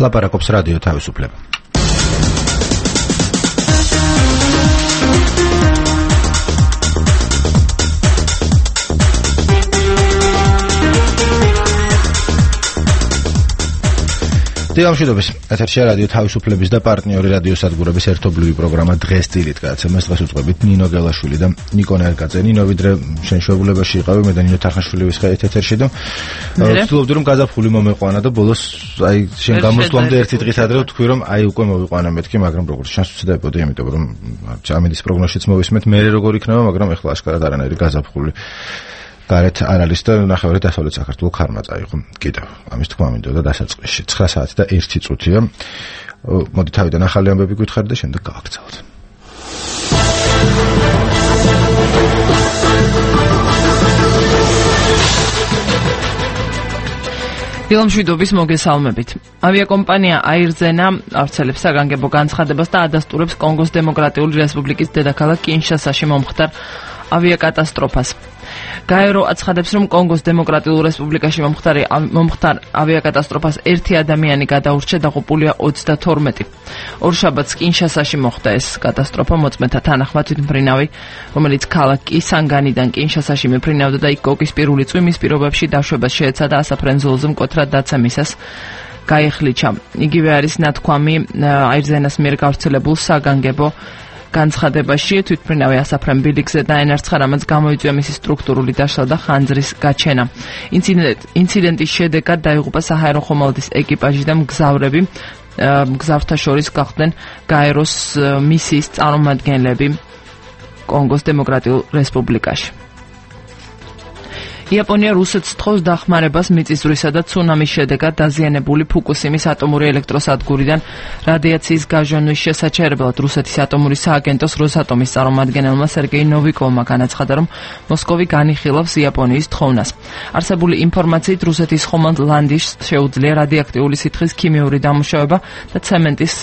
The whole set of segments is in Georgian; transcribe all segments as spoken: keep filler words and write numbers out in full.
ლაპარაკობს რადიო თავისუფლება. Დილამშვიდობის ეთერშია რადიო თავისუფლების და პარტნიორი რადიოსადგურების ერთობლივი პროგრამა დღეს დილით გადაცემას დღეს უწყებით ნინო გელაშვილი და ნიკო ნერკაძე. ნინო ვიდრე შენ შეულებაში იყავი მე და ნინო თახაშვილის ეთერში და ვცდილობდი რომ გაზაფხული მომეყვანა და ბოლოს აი შენ გამოსვლამდე ერთი დღის ადრე ვთქვი რომ აი უკვე მოვიყვანა მეთქი მაგრამ როგორც შანს ვცდებოდი იმიტომ რომ ამის პროგნოზშიც მოვისმენთ მე როგორ იქნება მაგრამ ეხლა აშკარად არანაირი გაზაფხული გარეთ არ არის და ნახევარი დასავლეთ საქართველოს ქარმა წაიღო. კიდევ ამის თქმა მინდოდა დასაწყისში ცხრა საათი და ერთი წუთია. მოდი თავიდან ახალი ამბები გითხარი და შემდეგ გავაკეთოთ. დილამშვიდობის მოგესალმებით. ავიაკომპანია აირზენა ავრცელებს საგანგებო განცხადებას და ადასტურებს კონგოს დემოკრატიული რესპუბლიკის დედაქალაქ კინშასაში მომხდარ ავიაკატასტროფას. გაერო აცხადებს, რომ კონგოს დემოკრატიულ რესპუბლიკაში მომხდარი მომხდარ ავიაკატასტროფას ერთი ადამიანი გადაურჩა და ღუპულია ოცდათორმეტი. ორშაბათს კინშასაში მოხდა ეს კატასტროფა მოწმეთა თანახმად თვითმფრინავი, რომელიც ქალაქ კისანგანიდან კინშასაში მეფრინავდა და იქ კოკისპირული წვიმის პირობებში დაშვებას შეეცადა ასაფრენ-ზოლზე მკვეთრად დაცემისას გაიხლიჩა. იგივე არის ნათქვამი აირზენას მიერ გავრცელებულ საგანგებო განცხადებაში თვითმფრინავი ასაფრენ ბილიკზე დაენერცხა, რამაც გამოიწვია მისი სტრუქტურული დაშლა და ხანძრის გაჩენა. ინციდენტის შედეგად დაიღუპა საჰაერო ხომალდის ეკიპაჟი და მგზავრები. მგზავრთა შორის გახდნენ გაეროს მისიის წარმომადგენლები კონგოს დემოკრატიულ რესპუბლიკაში. იაპონია რუსეთს თხოვს დახმარებას მიწისძვრისა და ცუნამის შედეგად დაზიანებული ფუკუსიმის ატომური ელექტროსადგურიდან რადიაციის გაჟონვის შესაჩერებლად. რუსეთის ატომური სააგენტოს როსატომის წარმომადგენელმა სერგეი ნოვიკოვმა განაცხადა, რომ მოსკოვი განიხილავს იაპონიის თხოვნას. არსებული ინფორმაციით რუსეთის ხომალდ ლანდიშს შეუძლია რადიოაქტიული სითხის ქიმიური დამუშავება და ცემენტის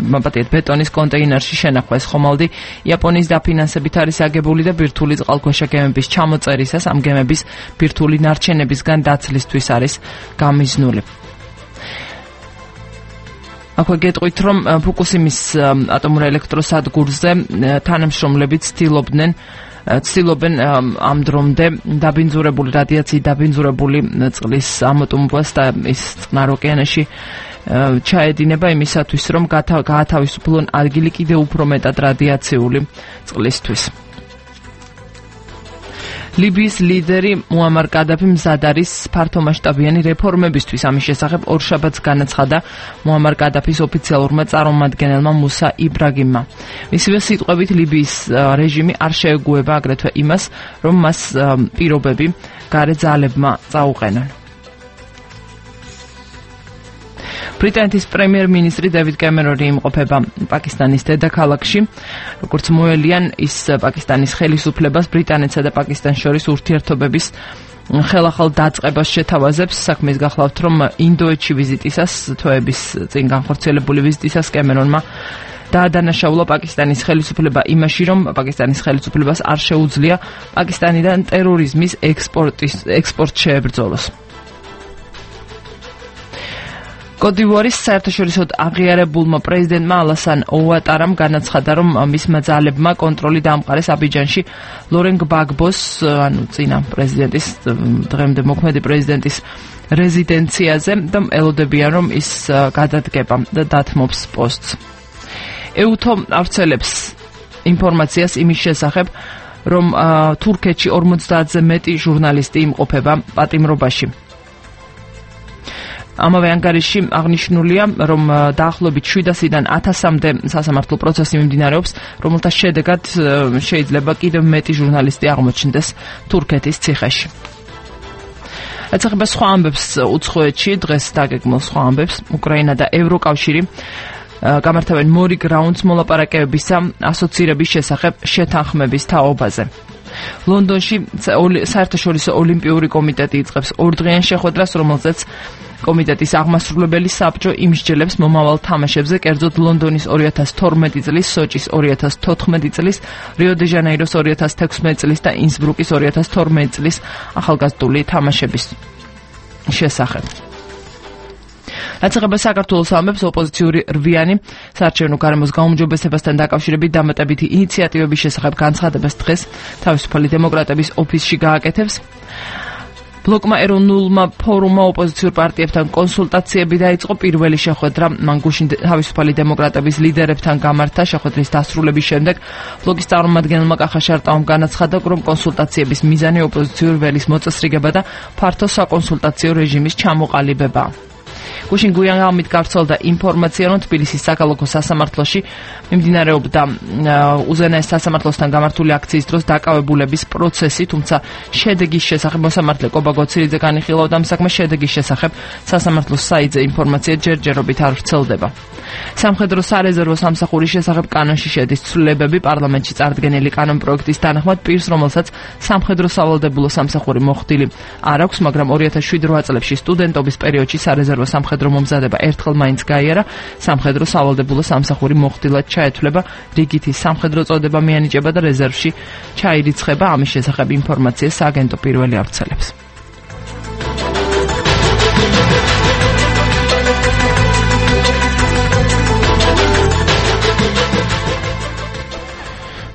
მაპატიეთ ბეტონის კონტეინერში შენახვა. ეს ხომალდი იაპონიის დაფინანსებით არის აგებული და ბირთვული წყალქვეშა გემების ჩამოწერისას ამ გემების ბირთვული ნარჩენებისგან დაცლისთვის არის გამიზნული. აქვე გეტყვით, რომ ფუკუსიმის ატომურ ელექტროსადგურზე თანამშრომლები ცდილობდნენ ცდილობენ ამ დრომდე დაბინძურებული რადიაციით დაბინძურებული წყლის ამოტუმბვას და ის წყნარ ოკეანეში ჩაედინება იმისათვის, რომ გაათავისუფლონ ადგილი კიდევ უფრო მეტად რადიაციული წყლისთვის. ლიბიის ლიდერი მუამარ კადაფი მზად არის ფართომასშტაბიანი რეფორმებისთვის. ამის შესახებ ორშაბათს განაცხადა მუამარ კადაფის ოფიციალურმა წარმომადგენელმა მუსა იბრაგიმმა. მისივე სიტყვებით ლიბიის რეჟიმი არ შეეგუება აგრეთვე იმას, რომ მას პირობები გარე ძალებმა წაუყენონ. ბრიტანეთის პრემიერ-მინისტრი დევიდ კემერონი იმყოფება პაკისტანის დედაქალაქში. როგორც მოელიან, ის პაკისტანის ხელისუფლებას ბრიტანეთსა და პაკისტანს შორის ურთიერთობების ხელახალ დაწყებას შეთავაზებს. საქმის გახლავთ, რომ ინდოეთში ვიზიტისას, თვეების წინ განხორციელებული ვიზიტისას კემერონმა დაადანაშაულა პაკისტანის ხელისუფლება იმაში, რომ პაკისტანის ხელისუფლებას არ შეუძლია პაკისტანიდან ტერორიზმის ექსპორტის ექსპორტ შეებრძოლოს. კოდივუარის საერთაშორისო აღიარებულმა პრეზიდენტმა ალასან ოუატარამ განაცხადა, რომ მისმა ძალებმა კონტროლი დაამყარეს აბიჯანში ლორენ გბაგბოს, ანუ წინა პრეზიდენტის, დღემდე მოქმედი პრეზიდენტის რეზიდენციაზე და ელოდებიან, რომ ის გადადგება და დათმობს პოსტს. ეუთო ავრცელებს ინფორმაციას იმის შესახებ, რომ თურქეთში ორმოცდაათზე მეტი ჟურნალისტი იმყოფება პატიმრობაში. ამავე ანგარიში აღნიშნულია, რომ დაახლოებით შვიდასიდან ათასამდე სასამართლო პროცესი მიმდინარეობს, რომელთა შედეგად შეიძლება კიდევ მეტი ჟურნალისტი აღმოჩნდეს თურქეთის ციხეში. ეთახება სხვა ამბებს უცხოეთში, დღეს დაგეგმილ სხვა ამბებს, უკრაინა და ევროკავშირი გამართავენ მორი გრაუნდს მოლაპარაკებებისა ასოცირების შესახებ შეთანხმების თაობაზე. ლონდონში საერთაშორისო ოლიმპიური კომიტეტი იწყებს ორდღიან შეხვედრას, რომელზეც კომიტეტის აღმასრულებელი საბჭო იმსჯელებს მომავალ თამაშებზე, კერძოდ ლონდონის ორი ათას თორმეტი წლის, სოჭის ორი ათას თოთხმეტი წლის, რიო-დე-ჟანეიროს ორი ათას თექვსმეტი წლის და ინსბრუკის ორი ათას თორმეტი წლის ახალგაზრდული თამაშების შესახებ. რაც ეხება საქართველოს ალმებს, ოპოზიციური რვიანი საარჩევნო გარემოს გაუმჯობესებასთან დაკავშირებით დამატებითი ინიციატივების შესახებ განცხადებას დღეს თავისუფალი დემოკრატების ოფისში გააკეთებს. ბლოკმა ეროვნულმა ფორუმმა ოპოზიციურ პარტიებთან კონსულტაციები დაიწყო. პირველი შეხვედრა მან გუშინ თავისუფალი დემოკრატების ლიდერებთან გამართა. შეხვედრის დასრულების შემდეგ ბლოკის წარმომადგენელმა კახა შარტაუმ განაცხადა, რომ კონსულტაციების მიზანი ოპოზიციური ველის მოწესრიგება და ფართო საკონსულტაციო რეჟიმის ჩამოყალიბება. გუშინ გვიანღამით გავრცელდა ინფორმაცია, რომ თბილისის საქალაქო სასამართლოში მიმდინარეობდა უზენაეს სასამართლოსთან გამართული აქციის დროს დაკავებულების პროცესი, თუმცა შედეგის შესახებ მოსამართლე კობა გოცირიძე განიხილავდა ამ საქმეს. შედეგის შესახებ სასამართლოს საიტზე ინფორმაცია ჯერჯერობით არ ვრცელდება. სამხედრო სარეზერვო სამსახურის შესახებ კანონში შედის ცვლილებები. პარლამენტში წარდგენილი კანონპროექტის თანახმად პირს, რომელსაც სამხედრო სავალდებულო სამსახური მოხდილი არ აქვს, მაგრამ ორი ათას შვიდ რვა წლებში სტუდენტობის პერიოდში სარეზერვო სამხედრო მომზადება ერთხელ მაინც გაიარა, სამხედრო სავალდებულო სამსახური მოხდილად ჩაეთვლება, რიგითი სამხედრო წოდება მიანიჭება და რეზერვში ჩაირიცხება. ამის შესახებ ინფორმაციას სააგენტო პირველი ავრცელებს.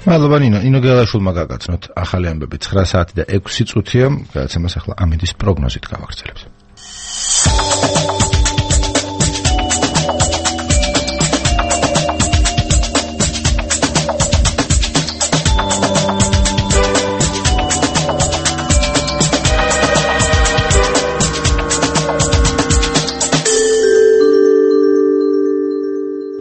მადლობა ნინო, ინო გელაშვილმა გაგაცნოთ ახალი ამბები. ცხრა საათი და ექვსი წუთია, გადაცემას ახლა ამინდის პროგნოზით გავაგრძელებთ.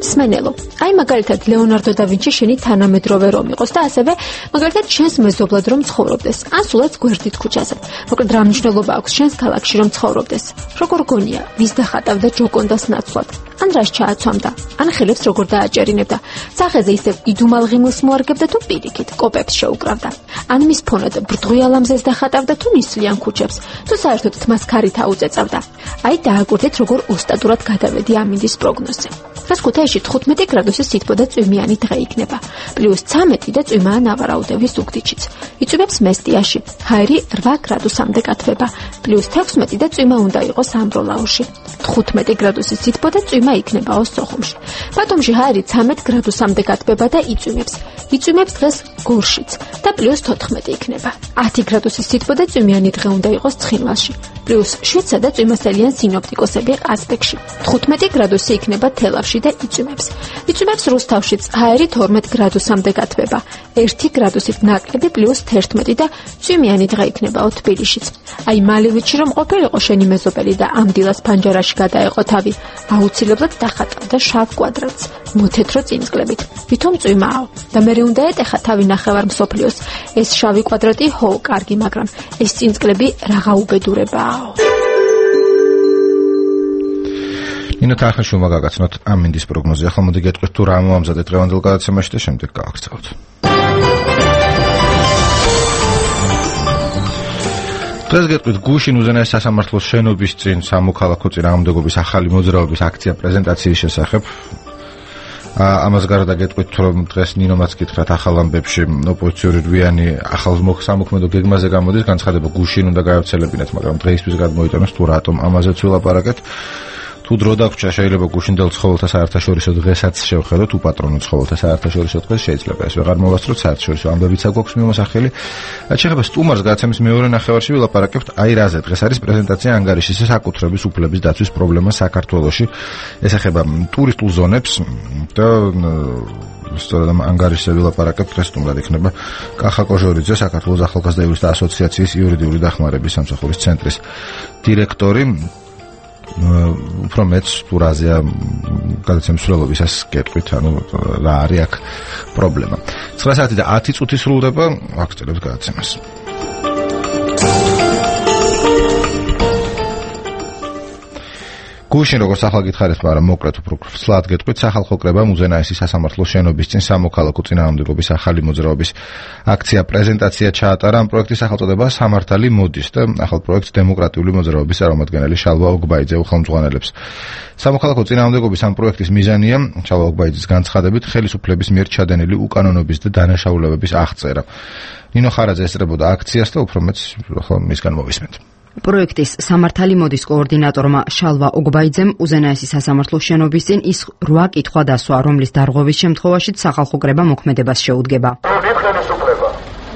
სმენელო. აი მაგალითად ლეონარდო და ვინჩი შენი თანამედროვე რომ იყოს და ასევე მაგალითად შენს მეზობლად რომ ცხოვრობდეს, ან სულაც გვერდით ქუჩაზე. მოკლედ რა მნიშვნელობა აქვს შენს ქალაქში რომ ცხოვრობდეს? როგორ გონია, ვის დახატავდა ჯოკონდას ნაცვლად? ან რას ჩააცვამდა? ან ხელებს როგორ დააჭერინებდა? სახეზე ისევ იდუმალ ღიმილს მოარგებდა თუ პირიქით კოპებს შეუკრავდა? ან მის ფონად ბრდღუიალ ამზეს დახატავდა თუ ნისლიან ქუჩებს? თუ საერთოდ თმას ქარით აუწეწავდა? აი დააკვირდით როგორ ოსტატურად გადავედი ამინდის პროგნოზზე. დღეს ქუთაისში თხუთმეტი გრადუსის სითბო და წვიმიანი დღე იქნება. პლუს ცამეტი და წვიმაა ნავარაუდევის ზუგდიდშიც. იწვიმებს მესტიაში. ჰაერი რვა გრადუსამდე კათვება. პლუს თექვსმეტი და წვიმა უნდა იყოს ამბროლაურში. თხუთმეტი გრადუსის სითბო და წვიმა იქნებაო სოხუმში. ბათუმში ჰაერი ცამეტ გრადუსამდე კათვება და იწვიმებს. იწვიმებს დღეს გორშიც და პლუს თოთხმეტი იქნება. ათი გრადუსის სითბო და წვიმიანი დღე უნდა იყოს ცხინვალში. პლუს შვიდსა და წვიმასელიან სინოპტიკოსები ყაზბეგში. თხუთმეტი გრადუსი იქნება თელავში და იწვიმებს. იწვიმებს რუსთავშიც ჰაერი თორმეტ გრადუსამდე კათვება. ერთი გრადუსით ნაკლები პლუს თერთმეტი და წვიმიანი დღე იქნებაო თბილისშიც. აი მალევიჩი რომ ყოფილიყო შენი მეზობელი და ამ დილას ფანჯარაში გადაეყო თავი, აუცილებლად დახატავდა შავ კვადრატს მოთეთრო წინწკლებით. ვითომ წვიმაო და მე უნდა ეტეხა თავი ნახევარ მსოფლიოს. ეს შავი კვადრატი ჰო კარგი, მაგრამ ეს წინწკლები რაღა უბედურებაო. ნინო თახაშვილმა გაგაცნოთ ამინდის პროგნოზი. ახლა მოდი გეტყვით თუ რა მოამზადეთ დღევანდელ გადაცემაში და შემდეგ გავაგრძელებთ. დღეს გეტყვით გუშინ უზენაეს სასამართლოს შენობის წინ სამოქალაქო წინააღმდეგობის ახალი მოძრაობის აქცია პრეზენტაციის შესახებ. ამას გარდა გეტყვით რომ დღეს ნინომაც გითხრათ ახალ ამბებში ოპოზიციური რვიანი ახალ სამოქმედო გეგმაზე გამოდის, განცხადება გუშინ უნდა გაევრცელებინათ, მაგრამ დღეისთვის გადმოიტანოს თუ რატომ ამაზეც ვილაპარაკეთ. თუ დრო დაგვრჩა შეიძლება გუშინდელ ცხოველთა საერთაშორისო დღესაც შევხედოთ, უპატრონო ცხოველთა საერთაშორისო დღეს შეიძლება ეს ვეღარ მოვასწროთ, საერთაშორისო ამბებიცა გვაქვს მიმოსახელი. რაც შეეხება სტუმარს გადაცემის მეორე ნახევარში ვილაპარაკებთ აი რაზე. დღეს არის პრეზენტაცია ანგარიშის საკუთრების უფლების დაცვის პრობლემა საქართველოში. ეს ეხება ტურისტულ ზონებს და სწორედ ამ ანგარიშზე ვილაპარაკებთ. დღეს სტუმრად იქნება კახა კოჟორიძე, საქართველოს ახალგაზრდა იურისტთა ასოციაციის იურიდიული დახმარების სამსახურის ცენტრის დირექტორი. უფრო მეც ტურაზია გადაცემის სრულობისას გეტყვით, ანუ რა არის აქ პრობლემა. ცხრა საათი და ათი წუთი სრულდება, ვაგრძელებთ გადაცემას. გუშინ როგორც ახლა გითხარით, მაგრამ მოკლედ უფრო სლად გეტყვით, სახალხო კრებამ უზენაესის სასამართლოს შენობის წინ სამოქალაქო წინააღმდეგობის ახალი მოძრაობის აქცია პრეზენტაცია ჩაატარა. ამ პროექტის სახელწოდება სამართალი მოდის და ახალ პროექტს დემოკრატიული მოძრაობის წარმომადგენელი შალვა ოგბაიძე უხელმძღვანელებს. სამოქალაქო წინააღმდეგობის ამ პროექტის მიზანია შალვა ოგბაიძის განცხადებით ხელისუფლების მიერ ჩადენილი უკანონობის და დანაშაულებების აღწერა. ნინო ხარაძე ესწრებოდა აქციას და უფრო მეც ახლა მისგან მოვისმენთ. პროექტის სამართალი მოდის კოორდინატორმა შალვა ოგბაიძემ უზენაესი სასამართლოს შენობის წინ ის რვა კითხვა დასვა, რომლის დარღვევის შემთხვევაშიც სახალხო კრება მოქმედებას შეუდგება.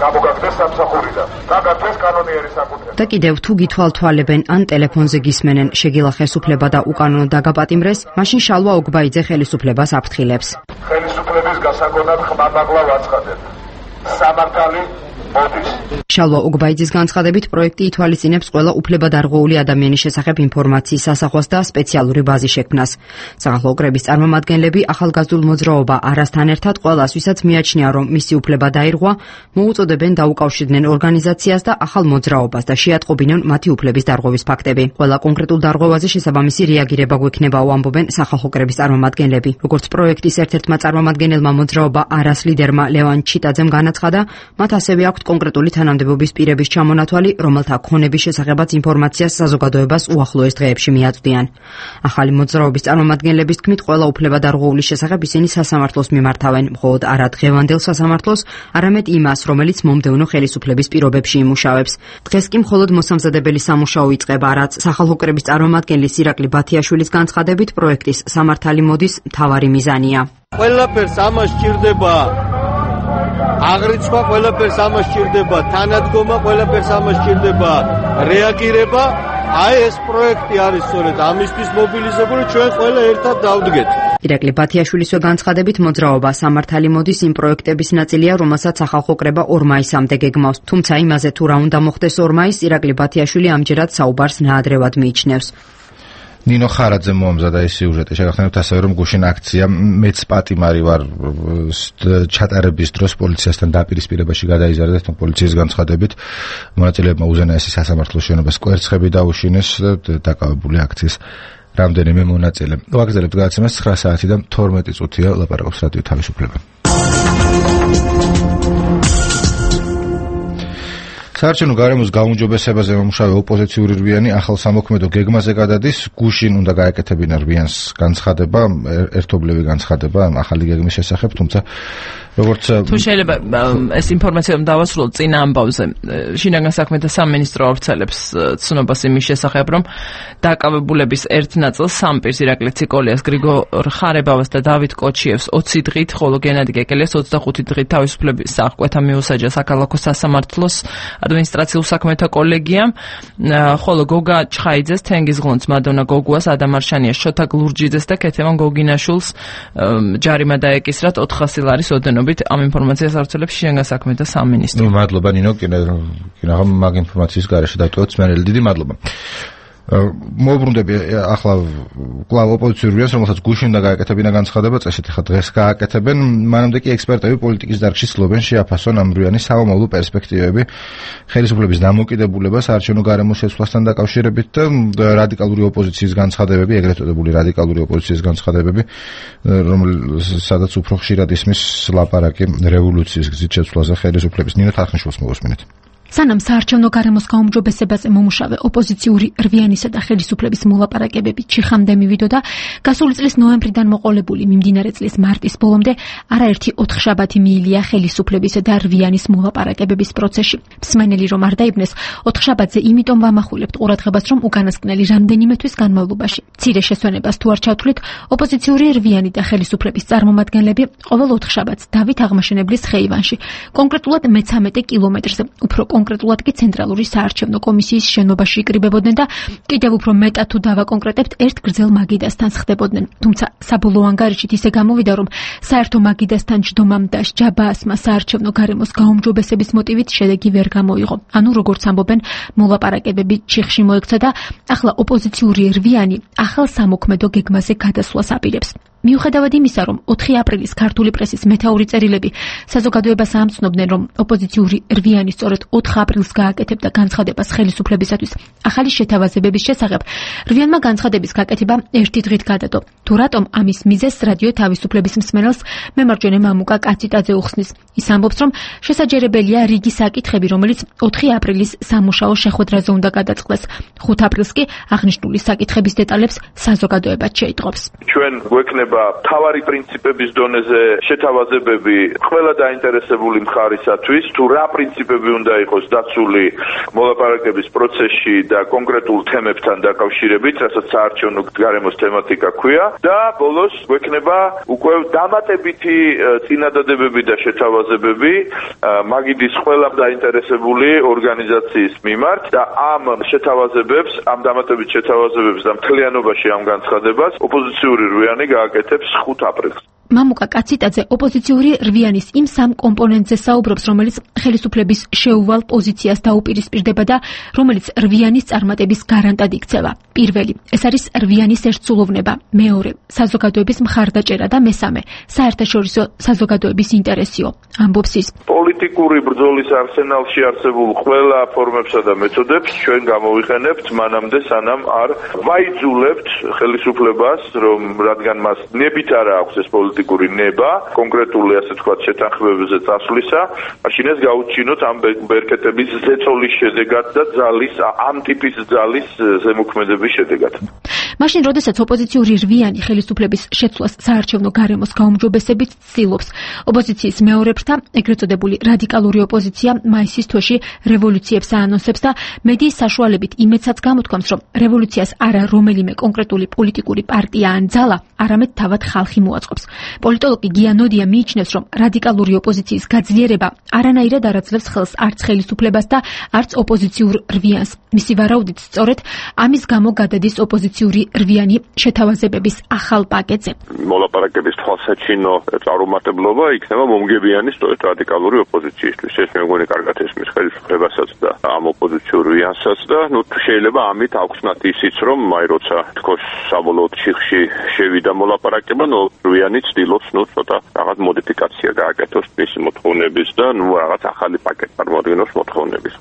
გამოგაგდეს სამსახურიდან და გაგდეს კანონიერი საკუთრება. და კიდევ თუ გითვალთვალებენ ან ტელეფონზე გისმენენ შეგილა ხელისუფლება და უკანონო დაგაპატიმრეს, მაშინ შალვა ოგბაიძე ხელისუფლებას აფრთხილებს. ხელისუფლების გასაგონად ხმამაღლა ვაცხადებ. სამართალი მოდის. შალვა ოგბაიძის განცხადებით პროექტი ითვალისწინებს ყველა უფლებადარღვეული ადამიანის შესახებ ინფორმაციის ასახვას და სპეციალური ბაზი შექმნას. სახალხო კრების წარმომადგენლები ახალგაზრდულ მოძრაობა არასთან ერთად ყველას, ვისაც მიაჩნია, რომ მისი უფლება დაირღვა, მოუწოდებენ დაუკავშირდნენ ორგანიზაციას და ახალ მოძრაობას და შეატყობინონ მათი უფლების დარღვევის ფაქტები. ყველა კონკრეტულ დარღვევაზე შესაბამისი რეაგირება გვექნებაო, ამბობენ სახალხო კრების წარმომადგენლები. როგორც პროექტის ერთ-ერთმა წარმომადგენელმა მოძრაობა არას ლიდერმა ლევან ჩიტაძემ განაცხადა, მათ ასევე აქვთ კონკრეტული თანამდებობის პირების ჩამონათვალი, რომელთა ქონების შესახებაც ინფორმაციას საზოგადოებას უახლოეს დღეებში მიაწვდიან. ახალი მოძრაობის წარმომადგენლების თქმით, ყველა უფლებადარღვეულის შესახებ ისინი სასამართლოს მიმართავენ, მხოლოდ არა დღევანდელ სასამართლოს, არამედ იმას, რომელიც მომდევნო ხელისუფლების პირობებში იმუშავებს. დღეს კი მხოლოდ მოსამზადებელი სამუშაო იწყება, რაც სახალხო კრების წარმომადგენლის ირაკლი ბათიაშვილის განცხადებით პროექტის სამართალი მოდის მთავარი მიზანია. ყველაფერს ამას სჭირდება აღრიცხვა, ყველაფერს ამას სჭირდება თანადგომა, ყველაფერს ამას სჭირდება რეაგირება. აი ეს პროექტი არის სწორედ ამისთვის მობილიზებული, ჩვენ ყველა ერთად დავდგეთ. ირაკლი ბათიაშვილისვე განცხადებით მოძრაობა სამართალი მოდის იმ პროექტების ნაწილია, რომელსაც სახალხო კრება ორ მაისამდე გეგმავს. თუმცა იმაზე თუ რა უნდა მოხდეს ორ მაისს, ირაკლი ბათიაშვილი ამჯერად საუბარს ნაადრევად მიიჩნევს. ნინო ხარაძე მოამზადა ეს სიუჟეტი. შეგახსენებთ ასევე, რომ გუშინ აქცია მეც პატიმარი ვარ ჩატარების დროს პოლიციასთან დაპირისპირებაში გადაიზარდა, თუმცა პოლიციის განცხადებით მონაწილეებმა უზენაესი სასამართლოს შენობას კვერცხები დაუშინეს, დაკავებული აქციის რამდენიმე მონაწილე. ვაგრძელებთ გადაცემას ცხრა საათი და თორმეტი წუთია, ლაპარაკობს რადიო თავისუფლება. საარჩევნო გარემოს გაუმჯობესებაზე მომუშავე ოპოზიციური რვიანი ახალ სამოქმედო გეგმაზე გადადის. გუშინ უნდა გაეკეთებინა რვიანს განცხადება, ერთობლივი განცხადება ახალი გეგმის შესახებ, თუმცა როგორც თუ შეიძლება ეს ინფორმაცია დავასრულოთ წინა ამბავზე. შინაგან საქმეთა სამინისტრო ავრცელებს ცნობას იმის შესახებ, რომ დაკავებულების ერთ ნაწილს სამპირს ირაკლი ციკოლიას, გრიგორ ხარებავას და დავით კოჩიევს ოცი დღით, ხოლო გენადი კეკელიას ოცდახუთი დღით თავისუფლების აღკვეთა მიუსაჯა საქალაქო სასამართლოს ადმინისტრაციულ საქმეთა კოლეგიამ, ხოლო გოგა ჩხაიძეს, თენგიზ ღონც, მადონა გოგუას, ადამ არშანიას, შოთა გლურჯიძეს და ქეთევან გოგინაშვილს ჯარიმა დაეკისრათ ოთხასი ლარის ოდენობით. ამ ინფორმაციას ავრცელებს შინაგან საქმეთა სამინისტრო. ნუ მადლობა ნინო, კინო მაგ ინფორმაციის გარეშე დავტოვოთ მერელი დიდი მადლობა. მოუბრუნდები ახლა კვლავ ოპოზიციურ რვიანს, რომელსაც გუშინ უნდა გააკეთებინა განცხადება, წესით ხა დღეს გააკეთებენ, მანამდე კი ექსპერტები პოლიტიკის დარგში ცდილობენ შეაფასონ ამ რვიანის სამომავლო პერსპექტივები, ხელისუფლების დამოკიდებულებას საარჩევნო გარემოს შეცვლასთან დაკავშირებით და რადიკალური ოპოზიციის განცხადებები, ეგრეთ წოდებული რადიკალური ოპოზიციის განცხადებები, რომელსაც უფრო ხშირად ისმის ლაპარაკი რევოლუციის გზით შეცვლაზე ხელისუფლების. ნინო თარხნიშვილს მოვუსმინეთ. სანამ საარჩევნო გარემოს გაუმჯობესებაზე მომუშავე ოპოზიციური რვიანისა და ხელისუფლების მოლაპარაკებები ჩიხამდე მივიდოდა, გასული წლის ნოემბრიდან მოყოლებული მიმდინარე წლის მარტის ბოლომდე არაერთი ოთხშაბათი მიილია ხელისუფლებისა და რვიანის მოლაპარაკებების პროცესში. მსმენელი რომ არ დაიბნეს, ოთხშაბათზე იმიტომ ვამახვილებთ ყურადღებას, რომ უკანასკნელი რამდენიმე თვის განმავლობაში მცირე შესვენებას თუ არ ჩავთვლით, ოპოზიციური რვიანი და ხელისუფლების წარმომადგენლები ყოველ ოთხშაბათს დავით აღმაშენებლის ხეივანში, კონკრეტულად მეცამეტე კილომეტრზე, უფრო კონკრეტულად კი ცენტრალური საარჩევნო კომისიის შენობაში იკრიბებოდნენ და კიდევ უფრო მეტად თუ დავაკონკრეტებთ, ერთ გრძელ მაგიდასთან ხდებოდნენ. თუმცა საბოლოო ანგარიშით ისე გამოვიდა, რომ საერთო მაგიდასთან ჯდომამ და ჯაბაასმა საარჩევნო გარემოს გაუმჯობესების მოტივით შედეგი ვერ გამოიღო. ანუ როგორც ამბობენ, მოლაპარაკებები ჩიხში მოექცა და ახლა ოპოზიციური რვიანი ახალ სამოქმედო გეგმაზე გადასვლას აპირებს. მიუხედავად იმისა, რომ ოთხი აპრილის ქართული პრესის მეთაური წერილები საზოგადოებას ამცნობდნენ, რომ ოპოზიციური რვიანი სწორედ ოთხ აპრილს გააკეთებდა განცხადებას ხელისუფლებისათვის ახალი შეთავაზებების შესახებ, რვიანმა განცხადების გაკეთება ერთი დღით გადადო. თუ რატომ ამის მიზეზს რადიო თავისუფლების მსმენელს მემარჯვენე მამუკა კაციტაძე უხსნის. ის ამბობს, რომ შესაძლებელია რიგი საკითხები, რომელიც ოთხი აპრილის სამუშაო შეხვედრაზე უნდა გადაწყდეს. ხუთ აპრილს კი აღნიშნული საკითხების დეტალებს საზოგადოებაც შეიტყობს. ჩვენ გვექნება გვექნება თავარი პრინციპების დონეზე შეთავაზებები ყველა დაინტერესებული მხარისათვის, თუ რა პრინციპები უნდა იყოს დაცული მოლაპარაკების პროცესში და კონკრეტულ თემებთან დაკავშირებით, რასაც საარჩევნო გარემოს თემატიკა ქვია და ბოლოს გვექნება უკვე დამატებითი წინადადებები და შეთავაზებები მაგიდის ყველა დაინტერესებული ორგანიზაციის მიმართ და ამ შეთავაზებებს, ამ დამატებით შეთავაზებებს და მთლიანობაში ამ განცხადებას ოპოზიციური რვიანი გააკეთებს ხუთ აპრილს. მამუკა კაციტაძე ოპოზიციური რვიანის იმ სამ კომპონენტზე საუბრობს, რომელიც ხელისუფლების შეუვალ პოზიციას დაუპირისპირდება და რომელიც რვიანის წარმატების გარანტად იქცევა. პირველი, ეს არის რვიანის ერთსულოვნება, მეორე, საზოგადოების მხარდაჭერა და მესამე, საერთაშორისო საზოგადოების ინტერესიო. ამბობს ის. პოლიტიკური ბრძოლის არსენალში არსებულ ყველა ფორმებსა და მეთოდებს ჩვენ გამოვიყენებთ მანამდე, სანამ არ ვაიძულებთ ხელისუფლებას, რომ რადგან მას ნებით არ აქვს ეს პოლიტიკური ნება, კონკრეტული ასე თქვა შეთანხმებებზე წასვლისა, მაშინ ეს გაუჩინოთ ამ ბერკეტების ზეწოლის შედეგად და ძალის ამ ტიპის ძალის ზემოქმედების შედეგად. მაშინ, როდესაც ოპოზიციური რვიანი ხელისუფლების შეცვლას საარჩევნო გარემოს გაუმჯობესებით ცდილობს, ოპოზიციის მეორე ფრთა, ეგრეთ წოდებული რადიკალური ოპოზიცია მაისის თვეში რევოლუციებს აანონსებს და მედიის საშუალებით იმედსაც გამოთქვამს, რომ რევოლუციას არა რომელიმე კონკრეტული პოლიტიკური პარტია ან ძალა, არამედ თავად ხალხი მოაწყობს. პოლიტოლოგი გიანოდია მიიჩნევს, რომ რადიკალური ოპოზიციის გაძლიერება არანაირად არ აძლევს ხელს არც ხელისუფლებას და არც ოპოზიციურ რვიანს. მისი ვარაუდით, სწორედ ამის გამო გადადის ოპოზიციური რვიანი შეთავაზებების ახალ პაკეტზე. მოლაპარაკების თვალსაჩინო წარუმატებლობა იქნება მომგებიანი სწორედ რადიკალური ოპოზიციისთვის. ეს მე მგონი კარგად ესმის ხელისუფლებასაც და ამ ოპოზიციურ რვიანსაც და ნუ შეიძლება ამით აუხსნათ ისიც, რომ აი როცა თქოს საბოლოოდ ჩიხში შევიდა მოლაპარაკება, ნუ რვიანი ცდილობს ნუ ცოტა რაღაც მოდიფიკაცია გააკეთოს მისი მოთხოვნების და ნუ რაღაც ახალი პაკეტი წარმოადგინოს მოთხოვნების.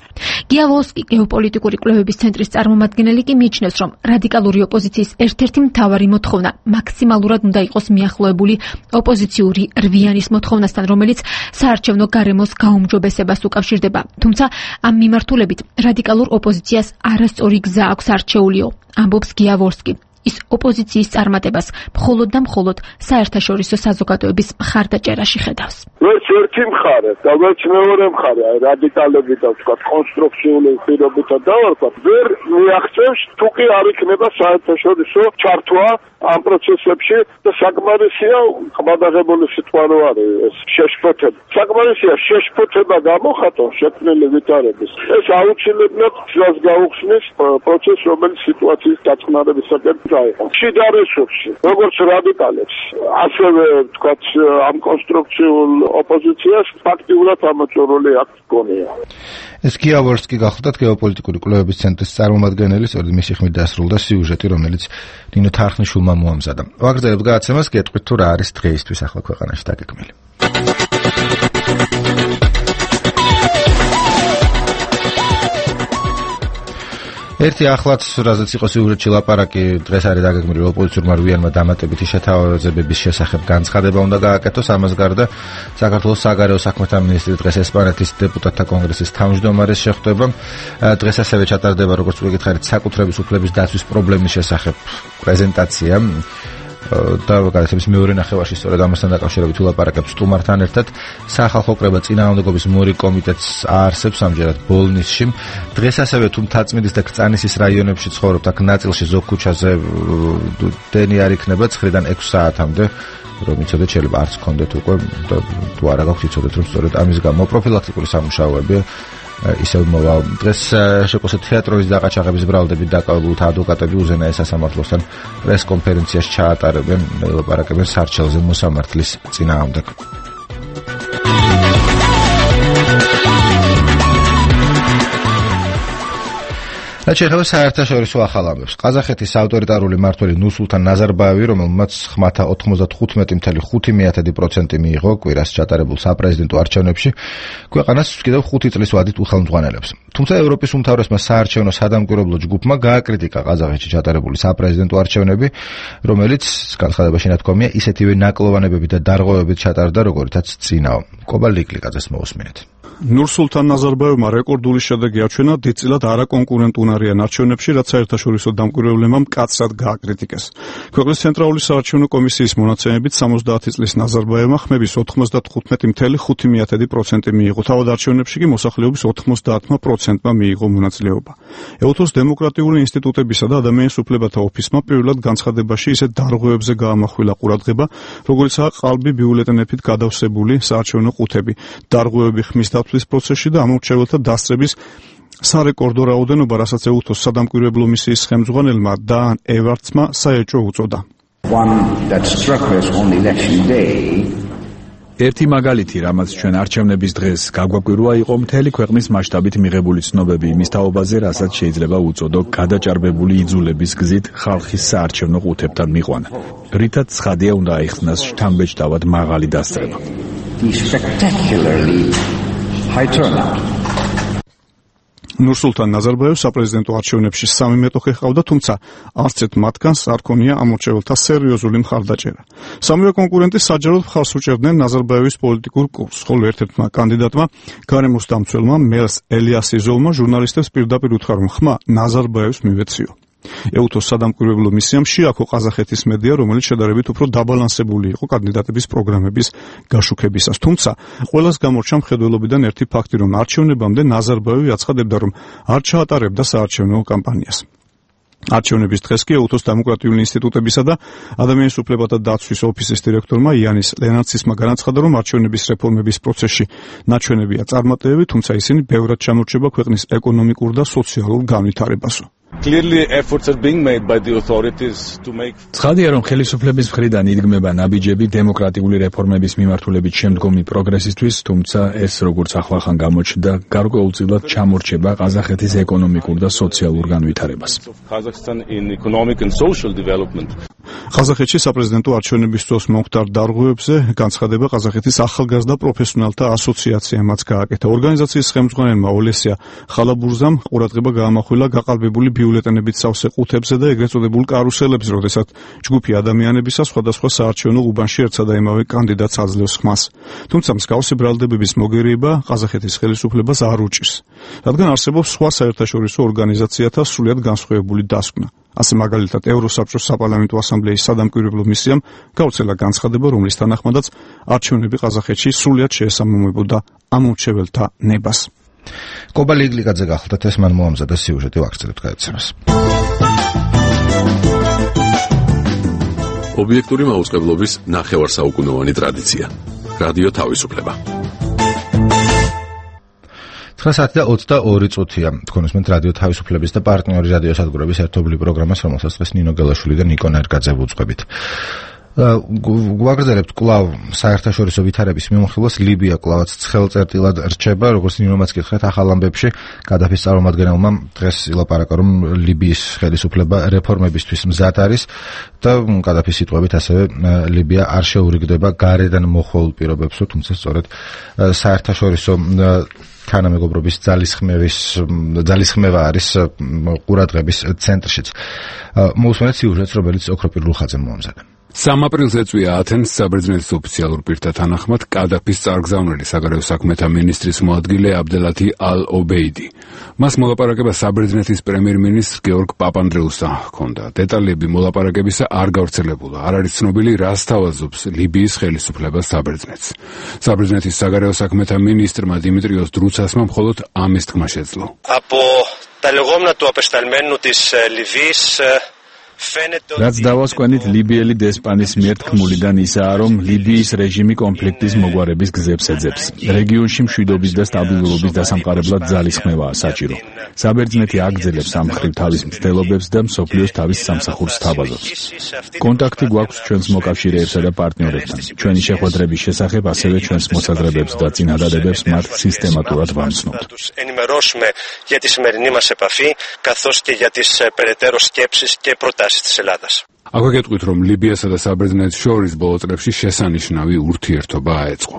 გიავოლსკი, გეოპოლიტიკური კვლევების ცენტრის წარმომადგენელი კი მიიჩნევს, რომ რადიკალური ოპოზიციის ერთ-ერთი მთავარი მოთხოვნა მაქსიმალურად უნდა იყოს მიახლოებული ოპოზიციური რვიანის მოთხოვნასთან, რომელიც საარჩევნო გარემოს გაუმჯობესებას უკავშირდება. თუმცა ამ მიმართულებით რადიკალურ ოპოზიციას არასწორი გზა აქვს არჩეულიო, ამბობს გიავოლსკი. ის ოპოზიციის წარმატებას მხოლოდ და მხოლოდ საერთაშორისო საზოგადოების მხარდაჭერაში ხედავს. ეს ერთი მხარე, და მეორე მხარე, აი რადიკალები და თქვა კონსტრუქციული პირობითა დავარქვათ, ვერ მიაღწევს თუ კი არ იქნება საერთაშორისო ჩართვა ამ პროცესებში და საკმარისია ხმადაღებული სიტყვა რო არის ეს შეშფოთება. საკმარისია შეშფოთება გამოხატოს შექმნილი ვითარების. ეს აუცილებლად გზას გაუხსნის პროცესს, რომელიც სიტუაციის დაწყნარებისაკენ დაიყო. შიდა რესურსი, როგორც რადიკალებს, ასევე თქვა ამ კონსტრუქციულ ოპოზიციას ფაქტიურად ამოწურული აქვს გონია. ეს გიავოლსკი გახლდათ გეოპოლიტიკური კვლევების ცენტრის წარმომადგენელი, სწორედ მისი ხმით დასრულდა სიუჟეტი, რომელიც ნინო თარხნიშვილმა მოამზადა. ვაგრძელებთ გადაცემას, გეტყვით თუ რა არის დღეისთვის ახლა ქვეყანაში დაგეგმილი. ერთი ახლაც, რაზეც იყო სიუჟეტში ლაპარაკი, დღეს არის დაგეგმილი ოპოზიციურმა რვიანმა დამატებითი შეთავაზებების შესახებ განცხადება უნდა გააკეთოს. ამას გარდა საქართველოს საგარეო საქმეთა მინისტრი დღეს ესპანეთის დეპუტატთა კონგრესის თავმჯდომარეს შეხვდება. დღეს ასევე ჩატარდება, როგორც ვიკითხარით, საკუთრების უფლების დაცვის პრობლემის შესახებ პრეზენტაცია. და გადაცემის მეორე ნახევარში სწორედ ამასთან დაკავშირებით ვილაპარაკებთ სტუმართან ერთად. სახალხო კრება წინააღმდეგობის მორი კომიტეტს აარსებს ამჯერად ბოლნისში. დღეს ასევე თუ მთაწმინდის და კრწანისის რაიონებში ცხოვრობთ, აქ ნაწილში ზოგ ქუჩაზე დენი არ იქნება ცხრიდან ექვსი საათამდე, რომ იცოდეთ, შეიძლება არც გქონდეთ უკვე და თუ არა გაქვთ იცოდეთ, რომ სწორედ ამის გამო პროფილაქტიკური სამუშაოები ისევ მოვა. დღეს შეკოსეთ თეატრის დაყაჩაღების ბრალდებით დაკავებულთა ადვოკატები უზენაეს სასამართლოსთან პრეს-კონფერენციას ჩაატარებენ, ელაპარაკებენ სარჩელზე მოსამართლის წინააღმდეგ. შეეხება საერთაშორისო ახალ ამბებს. ყაზახეთის ავტორიტარული მმართველი ნურსულთან ნაზარბაევი, რომელმაც ხმათა ოთხმოცდახუთმეტი ფاصლე ხუთი პროცენტი მიიღო კვირას ჩატარებულ საპრეზიდენტო არჩევნებში, ქვეყანას კიდევ ხუთი წლის ვადით უხელმძღვანელებს. თუმცა ევროპის უმთავრესმა საარჩევნო სადამკვირვებლო ჯგუფმა გააკრიტიკა ყაზახეთში ჩატარებული საპრეზიდენტო არჩევნები, რომელიც განცხადებაში ნათქვამია ისეთივე ნაკლოვანებებით და დარღვევებით ჩატარდა, როგორიცაც წინაო. კობა ლიკლიკაძეს მოусმინეთ. ნურსულთან ნაზარბაევმა რეკორდული შედეგი აჩვენა დიდწილად არაკონკურენტუნარი არიან არჩევნებში, რაც საერთაშორისო დამკვირვებლებმა მკაცრად გააკრიტიკეს. ქვეყნის ცენტრალური საარჩევნო კომისიის მონაცემებით სამოცდაათი წლის ნაზარბაევმა ხმების ოთხმოცდათხუთმეტი ფاصლე ხუთი პროცენტი მიიღო. თავად არჩევნებში კი მოსახლეობის ოთხმოცდაათი პროცენტმა მიიღო მონაწილეობა. ეუთოს დემოკრატიული ინსტიტუტებისა და ადამიანის უფლებათა ოფისმა პირველად განცხადებაში ისეთ დარღვევებზე გაამახვილა ყურადღება, როგორიცაა ყალბი ბიულეტენებით გადავსებული საარჩევნო ყუთები, დარღვევები ხმის დათვლის პროცესში და ამორჩეველთა დასწრების სარეკორდო რაოდენობა, რასაც ეუთოს სადამკვირვებლო მისიის ხელმძღვანელმა დან ევარდსმა საეჭვო უწოდა. ერთი მაგალითი, რამაც ჩვენ არჩევნების დღეს გაგვაკვირვა, იყო მთელი ქვეყნის მასშტაბით მიღებული ცნობები იმის თაობაზე, რასაც შეიძლება უწოდო გადაჭარბებული იძულების გზით ხალხის საარჩევნო ყუთებთან მიყვანა. რითაც ცხადია უნდა აიხსნას შთამბეჭდავად მაღალი დასწრება. ნურსულთან ნაზარბაევს საპრეზიდენტო არჩევნებში სამი მეტოქე ჰყავდა, თუმცა არც ერთ მათგანს არ ქონია ამორჩეველთა სერიოზული მხარდაჭერა. სამივე კონკურენტი საჯაროდ მხარს უჭერდნენ ნაზარბაევის პოლიტიკურ კურსს, ხოლო ერთ-ერთმა კანდიდატმა, გარემოს დამცველმა მელს ელიასიზოვმა ჟურნალისტებს პირდაპირ უთხრა, რომ ხმა ნაზარბაევს მივეციო. ეუთოს სადამკვირვებლო მისიამ შეაქო ყაზახეთის მედია, რომელიც შედარებით უფრო დაბალანსებული იყო კანდიდატების პროგრამების გაშუქებისას. თუმცა ყველას გამორჩა მხედველობიდან ერთი ფაქტი, რომ არჩევნებამდე ნაზარბაევი აცხადებდა, რომ არ ჩაატარებდა საარჩევნო კამპანიას. არჩევნების დღეს კი ეუთოს დემოკრატიული ინსტიტუტებისა და ადამიანის უფლებათა დაცვის ოფისის დირექტორმა იანის ლენარცისმა განაცხადა, რომ არჩევნების რეფორმების პროცესში ნაჩვენებია წარმატებები, თუმცა ისინი ბევრად ჩამორჩება ქვეყნის ეკონომიკურ და სოციალურ განვითარებასო. ცხადია, რომ ხელისუფლების მხრიდან იდგმება ნაბიჯები დემოკრატიული რეფორმების მიმართულებით შემდგომი პროგრესისთვის, თუმცა ეს როგორც ახლახან გამოჩნდა, გარკვეულწილად ჩამორჩება ყაზახეთის ეკონომიკურ და სოციალურ განვითარებას. ყაზახეთში საპრეზიდენტო არჩევნების დროს მომხდარ დარღვევებზე განცხადება ყაზახეთის ახალგაზრდა პროფესიონალთა ასოციაციამაც გააკეთა. ორგანიზაციის ხელმძღვანელმა ოლესია ხალაბურზამ ყურადღება გაამახვილა გაყალბებული ბიულეტენებით სავსე ყუთებზე და ეგრეთ წოდებულ კარუსელებზე, როდესაც ჯგუფი ადამიანებისა სხვადასხვა საარჩევნო უბანში ერთსა და იმავე კანდიდატს აძლევს ხმას. თუმცა მსგავსი ბრალდებების მოგერიება ყაზახეთის ხელისუფლებას არ უჭირს, რადგან არსებობს სხვა საერთაშორისო ორგანიზაციათა სრულიად განსხვავებული დასკვნა. ასე მაგალითად, ევროსაბჭოს საპარლამენტო ასამბლეის სადამკვირვებლო მისიამ გაუცელა განცხადება, რომლის თანახმადაც არჩევნები ყაზახეთში სრულიად შეესაბამებოდა ამორჩეველთა ნებას. კობა ლიგლიკაძე გახლდათ, ეს მან მოამზადა სიუჟეტი ვაგრძელებთ გადაცემას. ობიექტური მაუწყებლობის ნახევარსაუკუნოვანი ტრადიცია. რადიო თავისუფლება. ცხრა საათი და ოცდაორი წუთია. თქვენ უსმენთ რადიო თავისუფლების და პარტნიორი რადიო სადგურების ერთობლივ პროგრამას, რომელსაც დღეს ნინო გელაშვილი და ნიკო ნერგაძე ვუძღვებით. გვაგრძელებთ კვლავ საერთაშორისო ვითარების მიმოხილვას. ლიბია კვლავაც ცხელწერტილად რჩება, როგორც ნინომაც კითხეთ ახალ ამბებში. გადაფის წარმომადგენელმა დღეს ილაპარაკა, რომ ლიბიის ხელისუფლება რეფორმებისთვის მზად არის და გადაფის სიტყვებით ასევე ლიბია არ შეურიგდება გარედან მოხვალ პირობებსო, თუმცა სწორედ საერთაშორისო თანამეგობრობის ძალისხმევის ძალისხმევა არის ყურადღების ცენტრშიც. მოусმენთ სიუჟეტს, რომელიც ოქროპირ ლუხაძემ მოამზადა. სამ აპრილს ეწვია ათენს საბერძნეთის ოფიციალურ პირთა თანახმად კადაფის წარგზავნილი საგარეო საქმეთა მინისტრის მოადგილე აბდელათი ალ-ობეიდი. მას მოლაპარაკება საბერძნეთის პრემიერ-მინისტრ გეორგ პაპანდრეუსთან ჰქონდა. დეტალები მოლაპარაკებისა არ გავრცელებულა. არ არის ცნობილი, რა სთავაზობს ლიბიის ხელისუფლება საბერძნეთს. საბერძნეთის საგარეო საქმეთა მინისტრმა დიმიტრიოს დრუცასმა მხოლოდ ამის თქმა შეძლო. Από τα λεγόμενα του απεσταλμένου της Λιβύης რაც დავასკვენით ლიბიელი დესპანის მიერ თქმულიდან ისაა, რომ ლიბიის რეჟიმი კონფლიქტის მოგვარების გზებს ეძებს. რეგიონში მშვიდობის და სტაბილურობის დასამყარებლად ძალისხმევაა საჭირო. საბერძნეთი აგრძელებს ამ მხრივ თავის მცდელობებს და მსოფლიოს თავის სამსახურს თავაზობს. კონტაქტი გვაქვს ჩვენს მოკავშირეებსა და პარტნიორებთან. ჩვენი შეხვედრების შესახებ ასევე ჩვენს მოსაზრებებს და წინადადებებს მათ სისტემატურად ვამცნობთ. ενημερώσουμε για τη σημερινή μας επαφή, καθώς και για τις περαιτέρω σκέψεις και προτάσεις της Ελλάδας. აქვე გეტყვით, რომ ლიბიასა და საბერძნეთს შორის ბოლო წლებში შესანიშნავი ურთიერთობა აეწყო.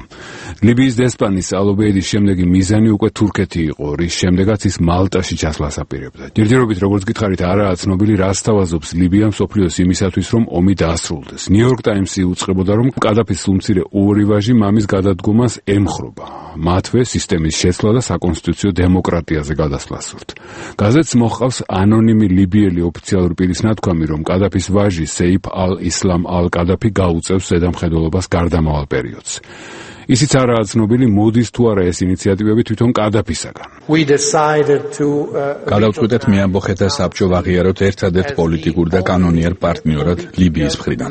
ლიბიის დესპანის ალ-ობეიდის შემდეგი მიზანი უკვე თურქეთი იყო, რის შემდეგაც ის მალტაში ჩასვლას აპირებდა. ჯერჯერობით, როგორც გითხარით, არაა ცნობილი, რა სთავაზობს ლიბია მსოფლიოს იმისათვის, რომ ომი დაასრულდეს. ნიუ-იორკ ტაიმსი უწყებოდა, რომ კადაფის სულმცირე ორი ვაჟი მამის გადადგომას ემხრობა. მათვე სისტემის შეცვლა და საკონსტიტუციო დემოკრატიაზე გადასვლა სურთ. გაზეთს მოჰყავს ანონიმი ლიბიელი ოფიციალური პირის ნათქვამი, რომ კადაფის ვაჟი სეიფ ალ-ისლამ ალ-კადაფი გაუწევს ზედამხედველობას გარდამავალ პერიოდს. ისიც არაა ცნობილი, მოდის თუ არა ეს ინიციატივები თვითონ კადაფისაგან. გადავწყვიტეთ მეამბოხეთა საბჭო ვაღიაროთ ერთადერთ პოლიტიკურ და კანონიერ პარტნიორად ლიბიის მხრიდან.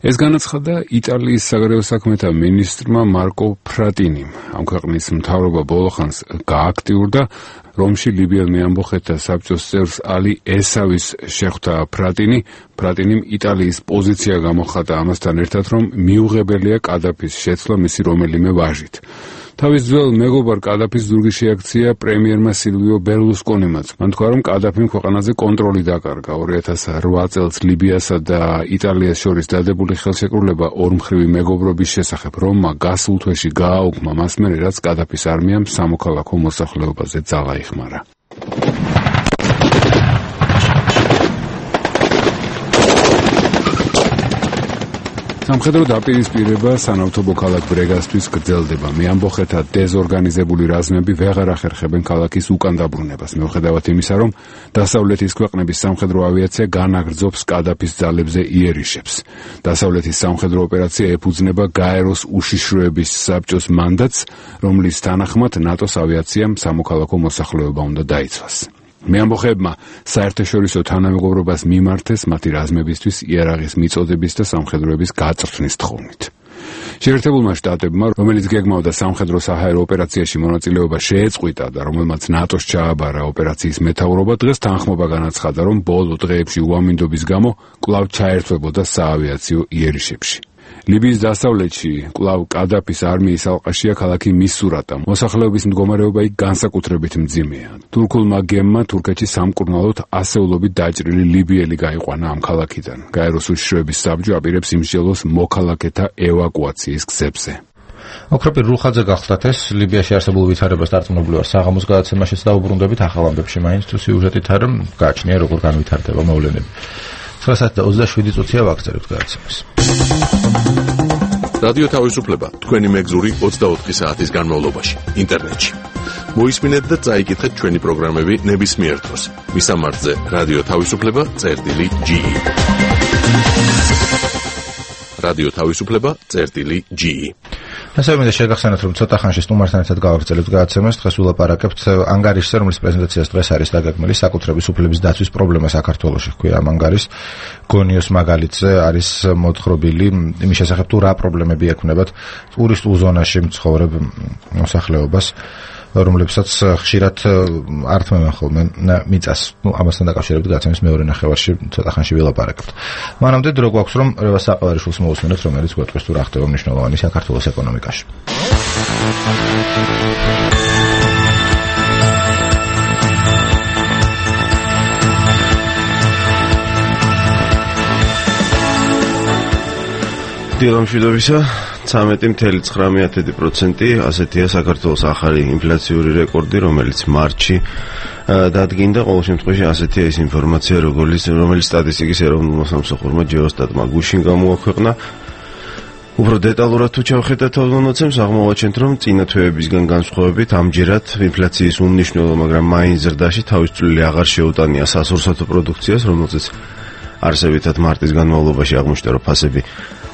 ეს განაცხადა იტალიის საგარეო საქმეთა მინისტრმა მარკო ფრატინიმ. ამ ქვეყნის მთავრობა ბოლოხანს გააქტიურდა. რომში ლიბიელ მეამბოხეთა საბჭოს წევრს ალი ესავის შეხვდა ფრატინი. ფრატინიმ იტალიის პოზიცია გამოხატა ამასთან ერთად, რომ მიუღებელია კადაფის შეცვლა მისი რომელიმე ვაჟით. თავის ძველ მეგობარ კადაფის ზურგი შეაქცია პრემიერმა სილვიო ბერლუსკონიმაც. მან თქვა, რომ კადაფიმ ქვეყანაზე კონტროლი დაკარგა. ორი ათას რვა წელს ლიბიასა და იტალიას შორის დადებული ხელშეკრულება ორმხრივი მეგობრობის შესახებ რომმა გასულ თვეში გააუქმა მას მერე, რაც კადაფის არმიამ სამოქალაქო მოსახლეობაზე ძალა იხმარა. სამხედრო დაპირისპირება სანავთობო ქალაქ ბრეგასთვის გრძელდება. მეამბოხეთა დეზორგანიზებული რაზმები ვეღარ ახერხებენ ქალაქის უკან დაბრუნებას, მიუხედავად იმისა, რომ დასავლეთის ქვეყნების სამხედრო ავიაცია განაგრძობს კადაფის ძალებზე იერიშებს. დასავლეთის სამხედრო ოპერაცია ეფუძნება გაეროს უშიშროების საბჭოს მანდატს, რომლის თანახმად ნატოს ავიაციამ სამოქალაქო მოსახლეობა უნდა დაიცვას. მეამბოხეებმა საერთაშორისო თანამეგობრობას მიმართეს მათი რაზმებისთვის იარაღის მიწოდების და სამხედროების გაწვრთნის თხოვნით. შეერთებულმა შტატებმა, რომელიც გეგმავდა სამხედრო საჰაერო ოპერაციაში მონაწილეობა შეეწყვიტა და რომელმაც ნატოს ჩააბარა ოპერაციის მეთაურობა, დღეს თანხმობა განაცხადა, რომ ბოლო დღეებში უამინდობის გამო კვლავ ჩაერთვებოდა საავიაციო იერიშებში. ლიბიის დასავლეთში კვლავ კადაფის არმიის ალყაშია ქალაქი მისურატა. მოსახლეობის მდგომარეობა იქ განსაკუთრებით მძიმეა. თურქულმა გემმა თურქეთში სამკურნალოდ ასეულობით დაჭრილი ლიბიელი გაიყვანა ამ ქალაქიდან. გაეროს უშიშროების საბჭო აპირებს იმსჯელოს მოქალაქეთა ევაკუაციის გზებზე. ოქროპირ რუხაძე გახლდათ ეს ლიბიაში არსებულ ვითარებას დარწმუნებული ვარ საღამოს გადაცემაშიც დაუბრუნდებით ახალ ამბებში მაინც თუ სიუჟეტით არა გააჩნია როგორ განვითარდება მოვლენები. ცხრა საათი და ოცდაშვიდი წუთია ვაგრძელებთ გადაცემას. რადიო თავისუფლება თქვენი მეგზური ოცდაოთხი საათის განმავლობაში ინტერნეტში. მოისმინეთ და წაიკითხეთ ჩვენი პროგრამები ნებისმიერ დროს. მისამართზე რადიო თავისუფლება წერტილი ჯი. რადიო თავისუფლება წერტილი ჯი. ასე მინდა შეგახსენოთ, რომ ცოტა ხანში სტუმართან ერთად გავაგრძელებთ გადაცემას. დღეს ვილაპარაკებთ ანგარიშზე, რომლის პრეზენტაციას დღეს არის დაგეგმილი საკუთრების უფლების დაცვის პრობლემა საქართველოში. ჰქვია ამ ანგარის გონიოს მაგალითზე არის მოთხრობილი იმის შესახებ, თუ რა პრობლემები ექმნებათ ტურისტულ ზონაში მცხოვრებ მოსახლეობას, რომლებსაც ხშირად არ თმევენ ხოლმე მიწას. ნუ ამასთან დაკავშირებით გადაცემის მეორე ნახევარში ცოტა ხანში ვილაპარაკებთ. მანამდე დრო გვაქვს, რომ რევას საყოვარიშვილს მოусმინოთ, რომელიც გვეტყვის თუ რა ხდება მნიშვნელოვანი საქართველოს ეკონომიკაში. დილამშვიდობისა. ცამეტი წუთი ცხრამეტი პროცენტი ასეთია საქართველოს ახალი ინფლაციური რეკორდი, რომელიც მარტში დადგინდა. ყოველ შემთხვევაში ასეთია ის ინფორმაცია, როგორც რომელიც სტატისტიკის ეროვნულმა სამსახურმა ჯეოსტატმა გუშინ გამოაქვეყნა. უფრო დეტალურად თუ ჩავხედათ თვალსაჩინოს, აღმოვაჩენთ, რომ წინა თვეებისგან განსხვავებით ამჯერად ინფლაციის უმნიშვნელო, მაგრამ მაინც ზრდაში თავის წვლილი აღარ შეუტანია სასურსათო პროდუქციას, რომელზეც არსებითად მარტის განმავლობაში აღმოჩნდა, რომ ფასები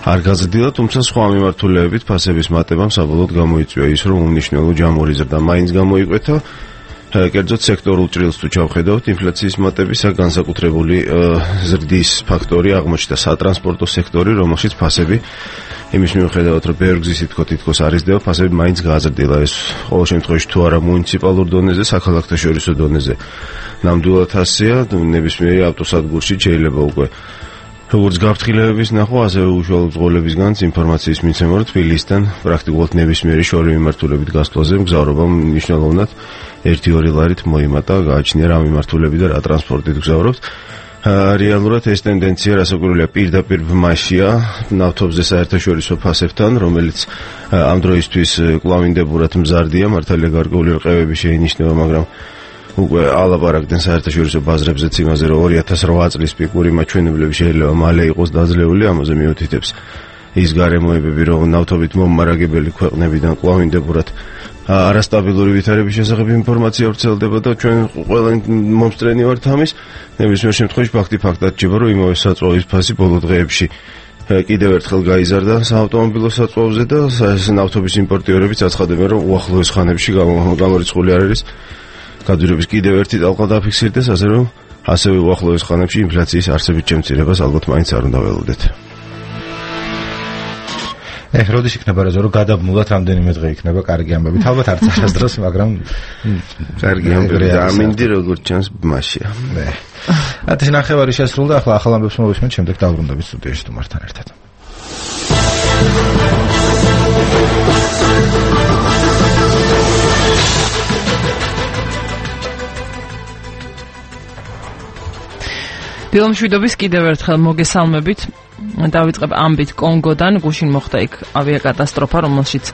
არ გაზრდილა, თუმცა სხვა მიმართულებით ფასების მატებამ საბოლოოდ გამოიწვია ის, რომ უმნიშვნელო ჯამური ზრდა მაინც გამოიკვეთა. კერძოდ სექტორულ ჭრილს თუ ჩავხედავთ, ინფლაციის მატებისა განსაკუთრებული ზრდის ფაქტორი აღმოჩნდა სატრანსპორტო სექტორი, რომელშიც ფასები იმის მიუხედავად, რომ ბევრ გზის თითქოს თითქოს არ იზრდება, ფასები მაინც გააზრდილა. ეს ყოველ შემთხვევაში თუ არა მუნიციპალურ დონეზე, საქალაქთაშორისო დონეზე ნამდვილად ასეა, ნებისმიერი ავტოსადგურში შეიძლება უკვე როგორც გაფრთხილებების ნახვა, ასევე უშუალო ბრძოლებისგანაც ინფორმაციის მიცემა, რომ თბილისიდან პრაქტიკულად ნებისმიერი შორი მიმართულებით გასვლაზე მგზავრობამ მნიშვნელოვნად ერთი-ორი ლარით მოიმატა, გააჩნია რა მიმართულები და რა ტრანსპორტით გზავრობთ. რეალურად ეს ტენდენცია რასაკვირველია პირდაპირ ბმაშია ნავთობზე საერთაშორისო ფასებთან, რომელიც ამ დროისთვის კლავინდებურად მზარდია, მართალია გარკვეული რყევები შეინიშნება, მაგრამ უკვე ალაპარაკდნენ საერთაშორისო ბაზრებზეც იმაზე, რომ ორი ათას რვა წლის პიკური მაჩვენებლები შეიძლება მალე იყოს დაძლეული, ამაზე მიუთითებს ის გარემოებები, რომ ნავთობით მომარაგებელი ქვეყნებიდან კლავინდებურად არასტაბილური ვითარების შესახებ ინფორმაცია ვრცელდება და ჩვენ ყველა მომსწრენი ვართ ამის. ნებისმიერ შემთხვევაში ფაქტი ფაქტად რჩება, რომ იმავე საწვავის ფასი ბოლო დღეებში კიდევ ერთხელ გაიზარდა საავტომობილო საწვავზე და ნავთობის იმპორტიორებიც აცხადებენ, რომ უახლოეს ხანებში გამორიცხული არ არის გადურების კიდევ ერთი ტალღა დაფიქსირდეს, ასე რომ ასევე უახლოეს ხანებში ინფლაციის არსებით შემცირებას ალბათ მაინც არ უნდა ველოდეთ. ეხ, როდის იქნება რა, რომ გადაბმულად რამდენიმე დღე იქნება კარგი ამბები. ალბათ არც არასდროს, მაგრამ კარგი ამბები და ამინდი როგორც ჩანს ბმაშია. ნე. ათი ნახევარი შესრულდა, ახლა ახალ ამბებს მოვისმენთ, შემდეგ დავბრუნდებით სტუდიაში თუმართან ერთად. დილამშვიდობის კიდევ ერთხელ მოგესალმებით. დავიწყებ ამბით კონგოდან, გუშინ მოხდა იქ ავიაკატასტროფა, რომელშიც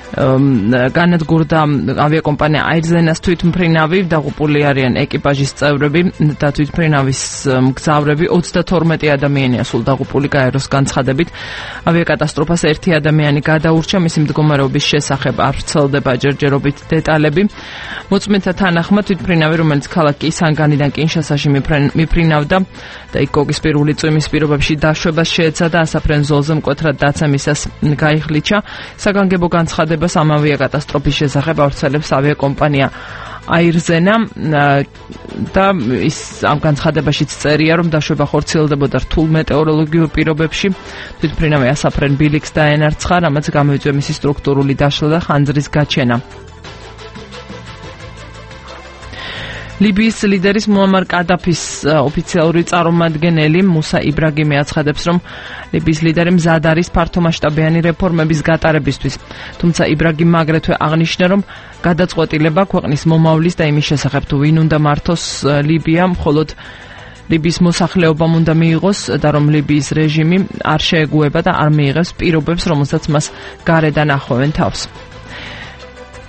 განადგურდა ავიაკომპანია აირზენას თვითმფრინავი, დაღუპული არიან ეკიპაჟის წევრები და თვითმფრინავის მგზავრები, ოცდათორმეტი ადამიანია სულ დაღუპული გაეროს განცხადებით. ავიაკატასტროფას ერთი ადამიანი გადაურჩა, მისი მდგომარეობის შესახებ არ ვრცელდება ჯერჯერობით დეტალები. მოწმენთა თანახმად თვითმფრინავი, რომელიც ქალაქ კისანგანიდან კინშასაში მიფრინავდა და იქ კოკისპირული წვიმის პირობებში დაშვებას შეეცადა, ასაფრენ ზოლზე მკვეთრად დაცემისას გაიხლიჩა. საგანგებო განცხადებას ამ ავიაკატასტროფის შესახებ ავრცელებს ავიაკომპანია აირზენა და ის ამ განცხადებაშიც წერია, რომ დაშვება ხორციელდებოდა რთულ მეტეოროლოგიურ პირობებში. თვითმფრინავი ასაფრენ ბილიქს დაენარცხა, რამაც გამოიწვია მისი სტრუქტურული დაშლა და ხანძრის გაჩენა. ლიბიის ლიდერის მუამარ კადაფის ოფიციალური წარმომადგენელი მუსა იბრაგიმი აცხადებს, რომ ლიბიის ლიდერი მზად არის ფართომასშტაბიანი რეფორმების გატარებისთვის. თუმცა იბრაგიმმა აგრეთვე აღნიშნა, რომ გადაწყვეტილება ქვეყნის მომავლის და იმის შესახებ თუ ვინ უნდა მართოს ლიბია, მხოლოდ ლიბიის მოსახლეობამ უნდა მიიღოს და რომ ლიბიის რეჟიმი არ შეეგუება და არ მიიღებს პირობებს, რომელსაც მას გარედან ახვევენ თავს.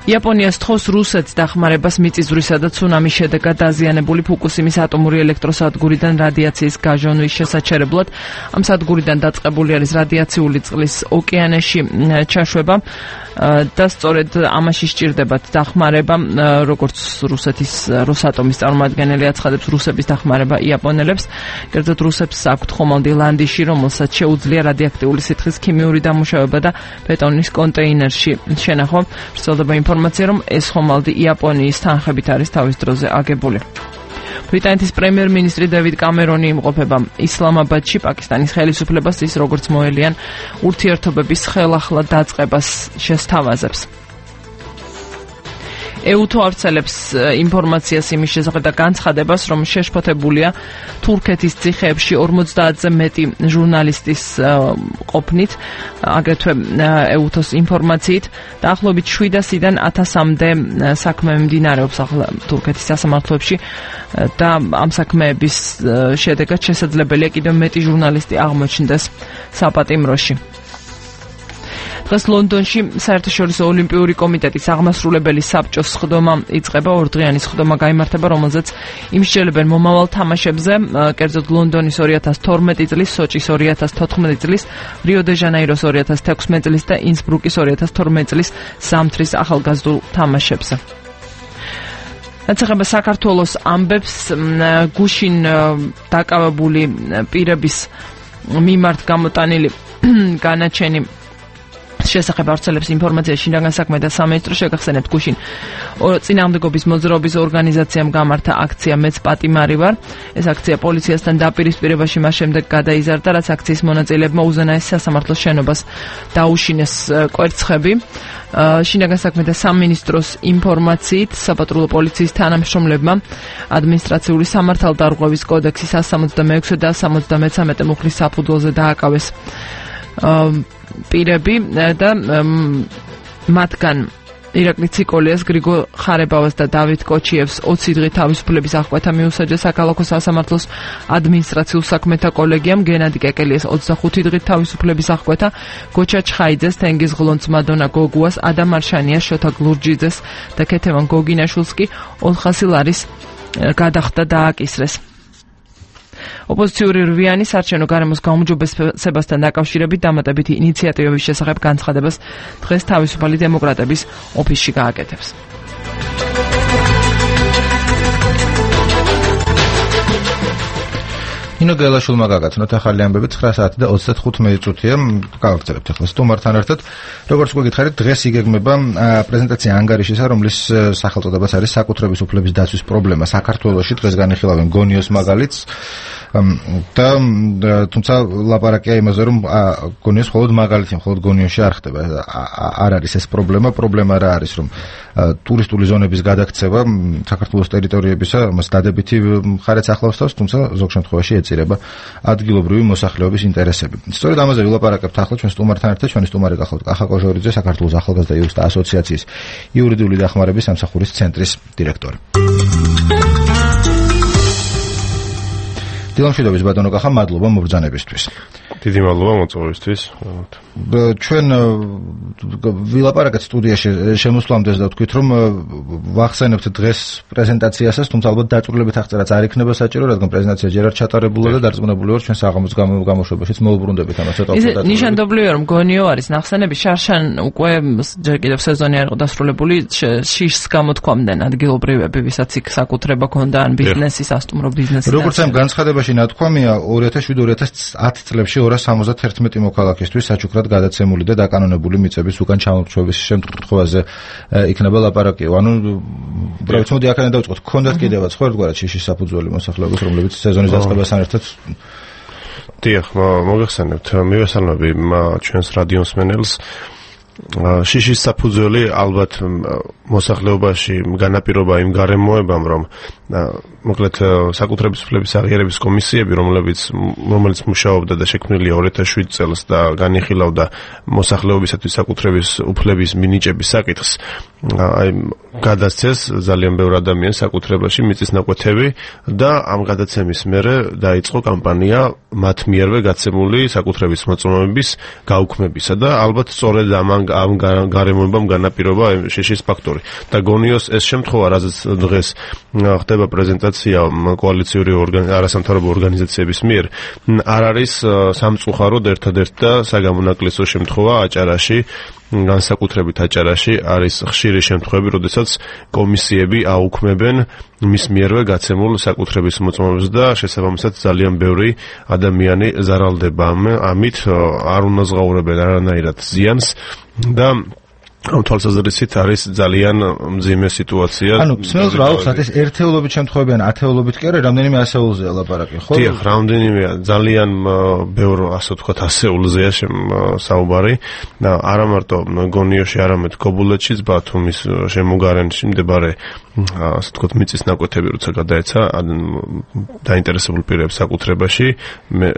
იაპონიას თხოვს რუსეთს დახმარებას მიწისძვრისა და ცუნამის შედეგად დაზიანებული ფუკუსიმის ატომური ელექტროსადგურიდან რადიაციის გაჟონვის შესაჩერებლად. ამ სადგურიდან დაწყებული არის რადიაციული წყლის ოკეანეში ჩაშვება და სწორედ ამაში სჭირდებათ დახმარება, როგორც რუსეთის როსატომის წარმომადგენელი აცხადებს, რუსების დახმარება იაპონელებს. კერძოდ რუსებს აქვთ ხომალდი ლანდიში, რომელსაც შეუძლია რადიოაქტიული სითხის ქიმიური დამუშავება და ბეტონის კონტეინერში შენახვა. ვრცელდება ინფორმაცია, რომ ეს ხომალდი იაპონიის თანხებით არის თავის დროზე აგებული. ბრიტანეთის პრემიერ-მინისტრი დევიდ კამერონი იმყოფება ისლამაბადში, პაკისტანის ხელისუფლებას ის როგორც მოელიან ურთიერთობების ხელახლა დაწყებას შესთავაზებს. ეუთო ავრცელებს ინფორმაციას იმის შესახებ და განცხადებას, რომ შეშფოთებულია თურქეთის ციხეებში ორმოცდაათზე მეტი ჟურნალისტის ყოფნით, აგრეთვე ეუთოს ინფორმაციით, დაახლოებით შვიდასიდან ათასამდე საქმე მიმდინარეობს ახლა თურქეთის სასამართლოებში და ამ საქმეების შედეგად შესაძლებელია კიდევ მეტი ჟურნალისტი აღმოჩნდეს საპატიმროში. დღეს ლონდონში საერთაშორისო ოლიმპიური კომიტეტის აღმასრულებელი საბჭოს სხდომა იწყება, ორდღიანი სხდომა გაიმართება, რომელზეც იმსჯელებენ მომავალ თამაშებზე, კერძოდ ლონდონის ორი ათას თორმეტი წლის, სოჭის ორი ათას თოთხმეტი წლის, რიო დე ჟანეიროს ორი ათას თექვსმეტი წლის და ინსბრუკის ორი ათას თორმეტი წლის ზამთრის ახალგაზრდულ თამაშებზე. რაც ეხება საქართველოს ამბებს, გუშინ დაკავებული პირების მიმართ გამოტანილი განაჩენი შესახებ ავრცელებს ინფორმაცია შინაგან საქმეთა სამინისტრო. შეგახსენებთ, გუშინ წინააღმდეგობის მოძრაობის ორგანიზაციამ გამართა აქცია მეც პატიმარი ვარ. ეს აქცია პოლიციასთან დაპირისპირებაში მას შემდეგ გადაიზარდა, რაც აქციის მონაწილეებმა უზენაეს სასამართლოს შენობას დაუშინეს კვერცხები. შინაგან საქმეთა სამინისტროს ინფორმაციით საპატრულო პოლიციის თანამშრომლებმა ადმინისტრაციული სამართალდარღვევის კოდექსის one sixty-six და one seventy-three მუხლის საფუძველზე დააკავეს პირები და მათგან ირაკლი ციკოლიას, გრიგო ხარებავას და დავით კოჩიევს ოცი დღით თავისუფლების აღკვეთა მიუსაჯა საქალაქო სასამართლოს ადმინისტრაციულ საქმეთა კოლეგიამ, გენადი კეკელიას ოცდახუთი დღით თავისუფლების აღკვეთა, გოჩა ჩხაიძეს, თენგიზ ღლონც, მადონა გოგუას, ადამ არშანიას, შოთა გლურჯიძეს და ქეთევან გოგინაშვილს კი ოთხასი ლარის გადახდა დააკისრეს. ოპოზიციური რვიანი საარჩევნო გარემოს გაუმჯობესებასთან დაკავშირებით დამატებითი ინიციატივების შესახებ განცხადებას დღეს თავისუფალი დემოკრატების ოფისში გააკეთებს. ინო გელაშვილმა გაგაცნოთ ახალი ამბები ცხრა საათი და ოცდათხუთი მინუტია. გავაგრძელებთ ახლა სტუმართან ერთად. როგორც გვეკითხარით, დღეს იგეგმება პრეზენტაცია ანგარიშისა, რომლის სახელწოდებაც არის საკუთრების უფლების დაცვის პრობლემა საქართველოში. დღეს განიხილავენ გონიოს მაგალითს და თუმცა ლაპარაკია იმაზე, რომ გონიოს მხოლოდ მაგალითი, მხოლოდ გონიოში არ ხდება. არ არის ეს პრობლემა. პრობლემა რა არის, რომ ტურისტული ზონების გადაქცევა საქართველოს ტერიტორიებისა მას დადებითი მხარეც ახლავს თავს, თუმცა ზოგ შემთხვევაში ეწირება ადგილობრივი მოსახლეობის ინტერესები. სწორედ ამაზე ვილაპარაკებთ ახლა ჩვენ სტუმართან ერთად. ჩვენი სტუმარი გახლავთ კახა კოჟორიძე, საქართველოს ახალგაზრდა იურისტთა ასოციაციის იურიდიული დახმარების სამსახურის ცენტრის დირექტორი. დილამშვიდობის ბატონო კახა, მადლობა მობრძანებისთვის. დიდი მადლობა მოწვევისთვის. ჩვენ ვილაპარაკეთ სტუდიაში შემოსვლამდე და ვთქვით, რომ ვახსენებთ დღეს პრეზენტაციასაც, თუმცა ალბათ დაწვრილებით აღწერაც არ იქნება საჭირო, რადგან პრეზენტაცია ჯერ არ ჩატარებულა და დარწმუნებული ვარ ჩვენ საღამოს გამოშვებაშიც მოუბრუნდებით ამას ცოტა უფრო. ნიშანდობლივია, რომ გონიო არის ნახსენები, შარშან უკვე ჯერ კიდევ სეზონი არ იყო დასრულებული, შიშს გამოთქვამდნენ ადგილობრივები, ვისაც იქ საკუთრება ქონდა ან ბიზნესი, სასტუმრო ბიზნესი. როგორც ამ განცხადებაში ნათქვამია, ორი ათას შვიდ ორი ათას ათი წლებში ორას სამოცდათერთმეტი მოქალაქისთვის საჩუქრად გადაცემული და დაკანონებული მიწების უკან ჩამორჩევის შემთხვევაზე იქნება ლაპარაკი. ანუ უბრალოდ მოდი აქედან დავიწყოთ. გქონდათ კიდევაც ხო ერთგვარად შიშის საფუძველი მოსახლეობის, რომლებიც სეზონის დაწყებასთან ერთად დიახ, მოგეხსენებთ. მივესალმები ჩვენს რადიო მსმენელს. შიშის საფუძველი ალბათ მოსახლეობაში განაპირობა იმ გარემოებამ, რომ მოკლედ საკუთრების უფლების აღიარების კომისიები, რომლებიც რომელიც მუშაობდა და შექმნილია ორი ათას შვიდ წელს და განიხილავდა მოსახლეობისათვის საკუთრების უფლების მინიჭების საკითხს, აი გადასცეს ძალიან ბევრ ადამიანს საკუთრებაში მიწის ნაკვეთები და ამ გადაცემის მერე დაიწყო კამპანია მათ მიერვე გაცემული საკუთრების მოწმობების გაუქმებისა და ალბათ სწორედ ამ ამ გარემოებამ განაპირობა შიშის ფაქტორი. და გონიოს ეს შემთხვევა, რაზეც დღეს ხდება პრეზენტაცია კოალიციური არასამთავრობო ორგანიზაციების მიერ, არ არის სამწუხაროდ ერთადერთი და საგამონაკლისო შემთხვევა აჭარაში, განსაკუთრებით აჭარაში არის ხშირი შემთხვევები, როდესაც კომისიები აუქმებენ მის მიერვე გაცემულ საკუთრების მოწმობებს და შესაბამისად ძალიან ბევრი ადამიანი ზარალდება ამით, არ უნაზღაურებენ არანაირად ზიანს და ამ თვალსაზრისით არის ძალიან მძიმე სიტუაცია. ანუ მსმენელს რა აუხსნათ, ეს ერთეულობით შემთხვევები ან ათეულობით კი არა, რამდენიმე ასეულზეა ლაპარაკი, ხო? დიახ, რამდენიმეა, ძალიან ბევრ, ასე ვთქვათ, ასეულზეა საუბარი და არა მარტო გონიოში, არამედ გობულეთშიც, ბათუმის შემოგარენში მდებარე, ასე ვთქვათ, მიწის ნაკვეთები როცა გადაეცა დაინტერესებულ პირებს საკუთრებაში,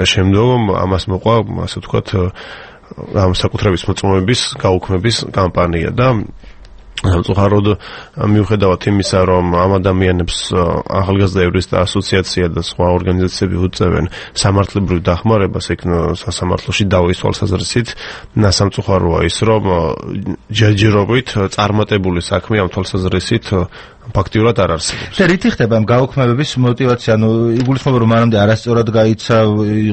შემდგომ ამას მოყვა, ასე ვთქვათ, ამ საკუთრების მოწმობების გაუქმების კამპანია და სამწუხაროდ მიუხედავად იმისა, რომ ამ ადამიანებს ახალგაზრდა იურისტთა ასოციაცია და სხვა ორგანიზაციები უწევენ სამართლებრივ დახმარებას იქ სასამართლოში დავის თვალსაზრისით, სამწუხაროა ის, რომ ჯერჯერობით წარმატებული საქმე ამ თვალსაზრისით ფაქტიურად არ არსებობს. და რითი ხდება ამ გაუქმებების мотиваცია? ანუ იგულისხმება რომ მანამდე არასწორად გაიცა,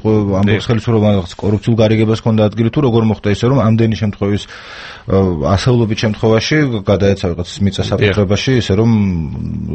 იყო ამბობს ხელისუფლება რაღაც კორუფციულ გარიგებას ჰქონდა ადგილი, თუ როგორ მოხდა ისე რომ ამდენი შემთხვევის ასეულობით შემთხვევაში გადაეცა რაღაც მიწა საკუთრებაში, ისე რომ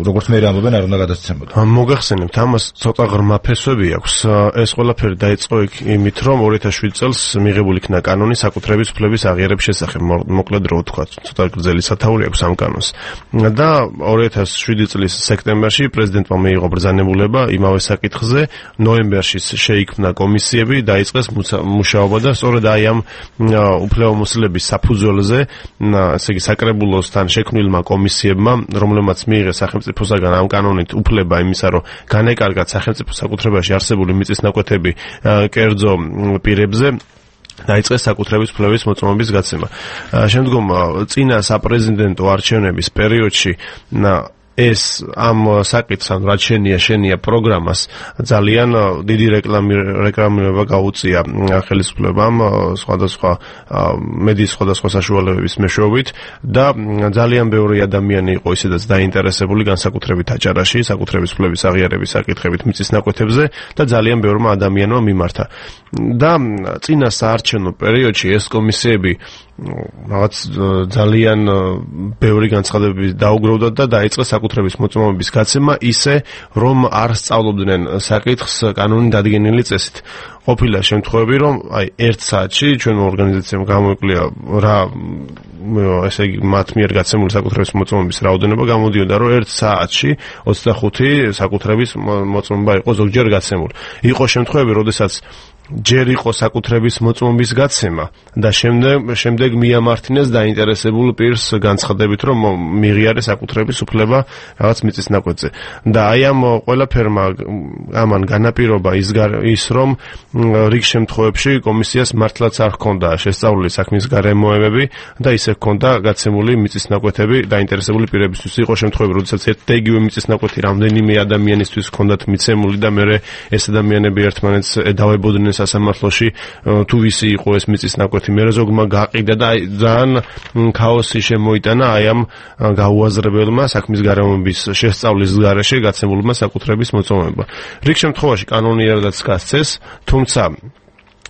როგორც მე ამბობენ არ უნდა გადასცემოდა. მოგახსენებთ, ამას ცოტა ღრმა ფესვები აქვს. ეს ყველაფერი დაიწყო იმით, რომ ორი ათას შვიდი წელს მიღებული იქნა კანონი საკუთრების უფლების აღიარების შესახებ. მოკლედ რო ვთქვა, ცოტა გრძელი სათაური აქვს ამ კანონს. და ორი ათას შვიდი წლის სექტემბერში პრეზიდენტმა მიიღო ბრძანებულება იმავე საკითხზე, ნოემბერში შეიქმნა კომისიები, დაიწყეს მუშაობა და სწორედ აი ამ უფლებამოსილების საფუძველზე, ესე იგი საკრებულოსთან შექმნილმა კომისიებმა, რომლებმაც მიიღეს სახელმწიფოსაგან ამ კანონით უფლება იმისა, რომ განეკარგათ სახელმწიფო საკუთრებაში არსებული მიწისნაკვეთები კერძო პირებზე, დაიწყეს საკუთრების უფლების მოწმობის გაცემა. შემდგომ წინა საპრეზიდენტო არჩევნების პერიოდში ეს ამ საკითხს, ან რაც შენია შენია პროგრამას ძალიან დიდი რეკლამი რეკლამირება გაუწია ხელისუფლებამ სხვადასხვა მედიის სხვადასხვა საშუალებების მეშვეობით და ძალიან ბევრი ადამიანი იყო ისედაც დაინტერესებული განსაკუთრებით აჭარაში საკუთრების უფლების აღიარების საკითხებით მიწისნაკვეთებზე და ძალიან ბევრმა ადამიანმა მიმართა. და წინა საარჩევნო პერიოდში ეს კომისიები რაღაც ძალიან ბევრი განცხადებები დაუგროვდა და დაიწყეს საკუთრების მოწმობის გაცემა ისე, რომ არ სწავლობდნენ საკითხს კანონი დადგენილი წესით. ყოფილა შემთხვევები, რომ აი ერთ საათში ჩვენ ორგანიზაციამ გამოიკლია რა ესე იგი მათ მიერ გაცემული საკუთრების მოწმობის რაოდენობა, გამოდიოდა რომ ერთ საათში ოცდახუთი საკუთრების მოწმობა იყო ზოგჯერ გაცემული. იყო შემთხვევები, როდესაც ჯერ იყო საკუთრების მოწმობის გაცემა და შემდეგ შემდეგ მიამართინეს დაინტერესებულ პირს განცხადებით, რომ მიღიარე საკუთრების უფლება რაღაც მიწისნაკვეთზე. და აი ამ ყველაფერმა ამან განაპირობა ის ის რომ რიგ შემთხვევებში კომისიას მართლაც არ ჰქონდა შესწავლილი საქმის გარემოებები და ისე ჰქონდა გაცემული მიწისნაკვეთები დაინტერესებული პირებისთვის. იყო შემთხვევები, როდესაც ერთ და იგივე მიწისნაკვეთი რამდენიმე ადამიანისთვის ჰქონდათ მიცემული და მე ეს ადამიანები ერთმანეთს ედავებოდნენ სასამართლოში, თუ ვისი იყო ეს მიწისნაკვეთი. მე ზოგმა გაყიდა და ძალიან ქაოსი შემოიტანა აი ამ გაუაზრებელმა საქმის გარემოების შესწავლის გარეშე გაცემულმა საკუთრების მოწმობა. რიგ შემთხვევაში კანონიერადაც გასცეს, თუმცა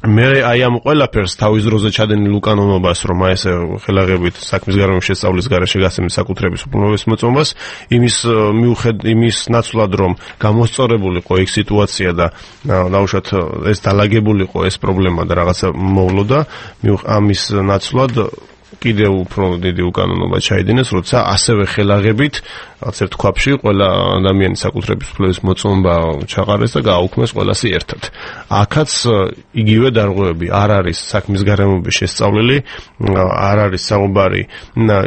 მე აი ამ ყველაფერს თავის დროზე ჩადენილ უკანონობას, რომ აი ეს ხელაღებით საქმის გარემოების შესწავლის გარეშე გაცემის საკუთრების უფლების მოწმობას, იმის მიუხედ იმის ნაცვლად, რომ გამოსწორებულიყო იქ სიტუაცია და დაუშვათ ეს დალაგებულიყო ეს პრობლემა და რაღაცა მოვლოდა, ამის ნაცვლად კიდევ უფრო დიდი უკანონობა ჩაიდინეს, როცა ასევე ხელაღებით რაღაც ერთ ქვაბში ყველა ადამიანის საკუთრების უფლების მოწმობა ჩაყარეს და გააუქმეს ყველასი ერთად. აქაც იგივე დარღვევები არ არის საქმის გარემოების შესწავლილი, არ არის საუბარი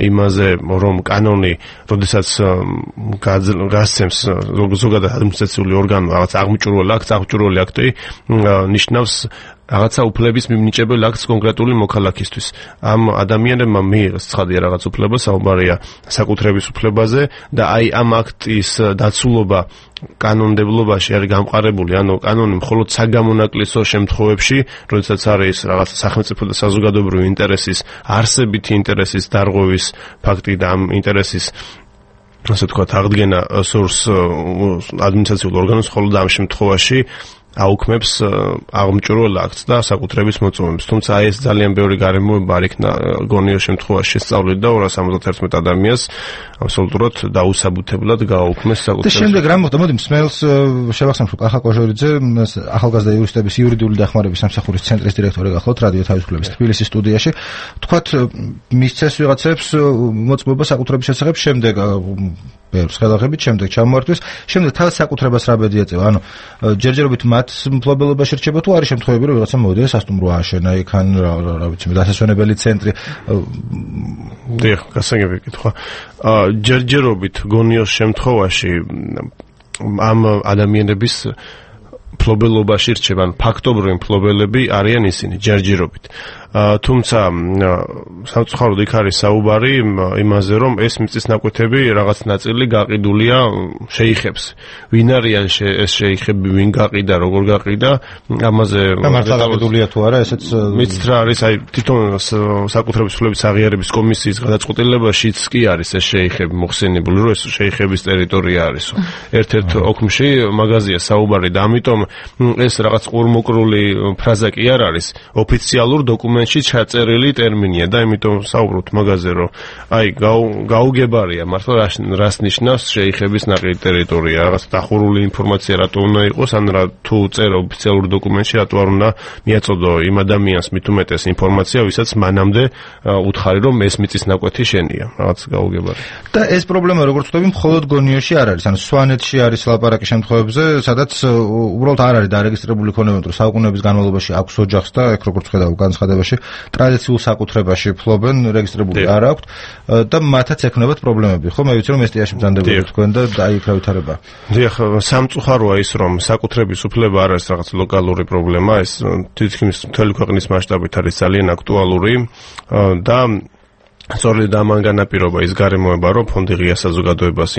იმაზე, რომ კანონი, როდესაც გასცემს ზოგადად ადმინისტრაციული ორგანო რაღაც აღმჭურველ აქტს, აღმჭურველი აქტი ნიშნავს რაღაცა უფლების მიმნიჭებელ აქტს კონკრეტული მოქალაქისთვის. ამ ადამიანებმა მიიღეს ცხადია რაღაც უფლება, საუბარია საკუთრების უფლებაზე და აი ამ აქტის დაცულობა კანონმდებლობაში არის გამყარებული, ანუ კანონი მხოლოდ საგამონაკლისო შემთხვევებში, როდესაც არის რაღაც სახელმწიფო და საზოგადოებრივი ინტერესის, არსებითი ინტერესის დარღვევის ფაქტი და ამ ინტერესის ასე ვთქვათ აღდგენა სურს ადმინისტრაციულ ორგანოს, მხოლოდ ამ შემთხვევაში აუქმებს აღმჭურველ აქტს და საკუთრების მოწმობებს. თუმცა აი ეს ძალიან ბევრი გარემოება არ იქნა გონიო შემთხვევაში შესწავლილი და ორას ორმოცდაათი ადამიანს აბსოლუტურად დაუსაბუთებლად გააუქმეს საკუთრების. და შემდეგ რა მოხდა? მოდი მსმელს შევახსენებ, რომ კახა კოჟორიძე ახალგაზრდა იურისტების იურიდიული დახმარების სამსახურის ცენტრის დირექტორი გახლავთ რადიო თავისუფლების თბილისის სტუდიაში. თქვათ მისცეს ვიღაცებს მოწმობა საკუთრების შესახებ, შემდეგ ბევრს ხელახებით, შემდეგ ჩამოართვეს, შემდეგ თავის საკუთრებას რა ბედი ეწევა? ანუ ჯერჯერობით მათ მფლობელობაში რჩება თუ არის შემთხვევები, რომ ვიღაცა მოვიდა სასტუმრო ააშენა იქან, რა ვიცი, დასასვენებელი ცენტრი. დიახ, გასაგები კითხვა. ჯერჯერობით გონიოს შემთხვევაში ამ ადამიანების მფლობელობაში რჩება, ფაქტობრივი მფლობელები არიან ისინი ჯერჯერობით. თუმცა სამწუხაროდ იქ არის საუბარი იმაზე, რომ ეს მიწის ნაკვეთები რაღაც ნაწილი გაყიდულია შეიხებს. ვინ არიან ეს შეიხები, ვინ გაყიდა, როგორ გაყიდა, ამაზე მართლა გაყიდულია თუ არა, ესეც მიცით რა არის, აი თვითონ საკუთრების ფლობის აღიარების კომისიის გადაწყვეტილებაშიც კი არის ეს შეიხები მოხსენებული, რომ ეს შეიხების ტერიტორია არის. ერთ-ერთ ოქმში მაგაზია საუბარი და ამიტომ ეს რაღაც ყურმოკრული ფრაზა კი არ არის, ოფიციალურ დოკუმენტში ჩაწერილი ტერმინია და ამიტომ საუბრობთ მაგაზე, რომ აი გაუგებარია მართლა რას ნიშნავს შეიხების ნაყიდი ტერიტორია, რაღაც დახურული ინფორმაცია რატო უნდა იყოს, ან რა თუ წერა ოფიციალურ დოკუმენტში რატო არ უნდა მიაწოდო იმ ადამიანს მით უმეტეს ინფორმაცია, ვისაც მანამდე უთხარი, რომ ეს მიწის ნაკვეთი შენია, რაღაც გაუგებარია. და ეს პრობლემა როგორც ვთქვი, მხოლოდ გონიოში არ არის, ანუ სვანეთში არის ლაპარაკი შემთხვევებზე, სადაც უბრალოდ არ არის დარეგისტრირებული ქონება, რომ საუკუნეების განმავლობაში აქვს ოჯახს და ეგ როგორც ხედავ განცხადებაში ტრადიციულ საკუთრებაში ფლობენ, რეგისტრირებული არ აქვთ და მათაც ექნებათ პრობლემები. ხო, მე ვიცი რომ ესტიაში ბრძანდებული თქვენ და აი იქ რა ვითარება. დიახ, სამწუხაროა ის, რომ საკუთრების უფლება არ არის რაღაც ლოკალური პრობლემა, ეს თითქმის მთელი ქვეყნის მასშტაბით არის ძალიან აქტუალური და სწორედ ამან განაპირობა ის გარემოება, რომ ფონდი ღია საზოგადოებას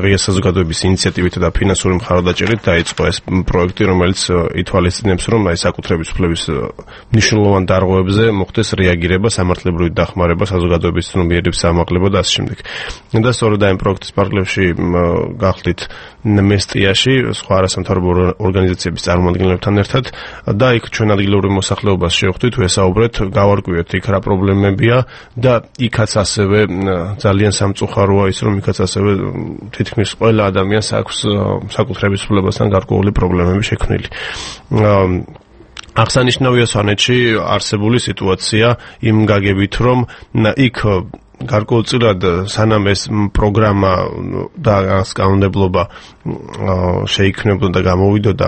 ღია საზოგადოების ინიციატივით და ფინანსური მხარდაჭერით დაიწყო ეს პროექტი, რომელიც ითვალისწინებს, რომ აი საკუთრების უფლების მნიშვნელოვან დარღვევებზე მოხდეს რეაგირება, სამართლებრივი დახმარება, საზოგადოების ცნობიერების ამაღლება და ასე შემდეგ. და სწორედ აი პროექტის პარკლებში გახდით მესტიაში სხვა არასამთავრობო ორგანიზაციების წარმომადგენლებთან ერთად და იქ ჩვენ ადგილობრივ მოსახლეობას შევხვდით, ვესაუბრეთ, გავარკვიეთ იქ რა პრობლემებია და იქაც ასევე ძალიან სამწუხაროა ის, რომ იქაც ასევე თითქმის ყველა ადამიანს აქვს საკუთრების უფლებასთან გარკვეული პრობლემები შექმნილი. აღსანიშნავია სვანეთში არსებული სიტუაცია იმ გაგებით, რომ იქ გარკვეულწილად სანამ ეს პროგრამა და კანონმდებლობა შეიქმნებოდა და გამოვიდოდა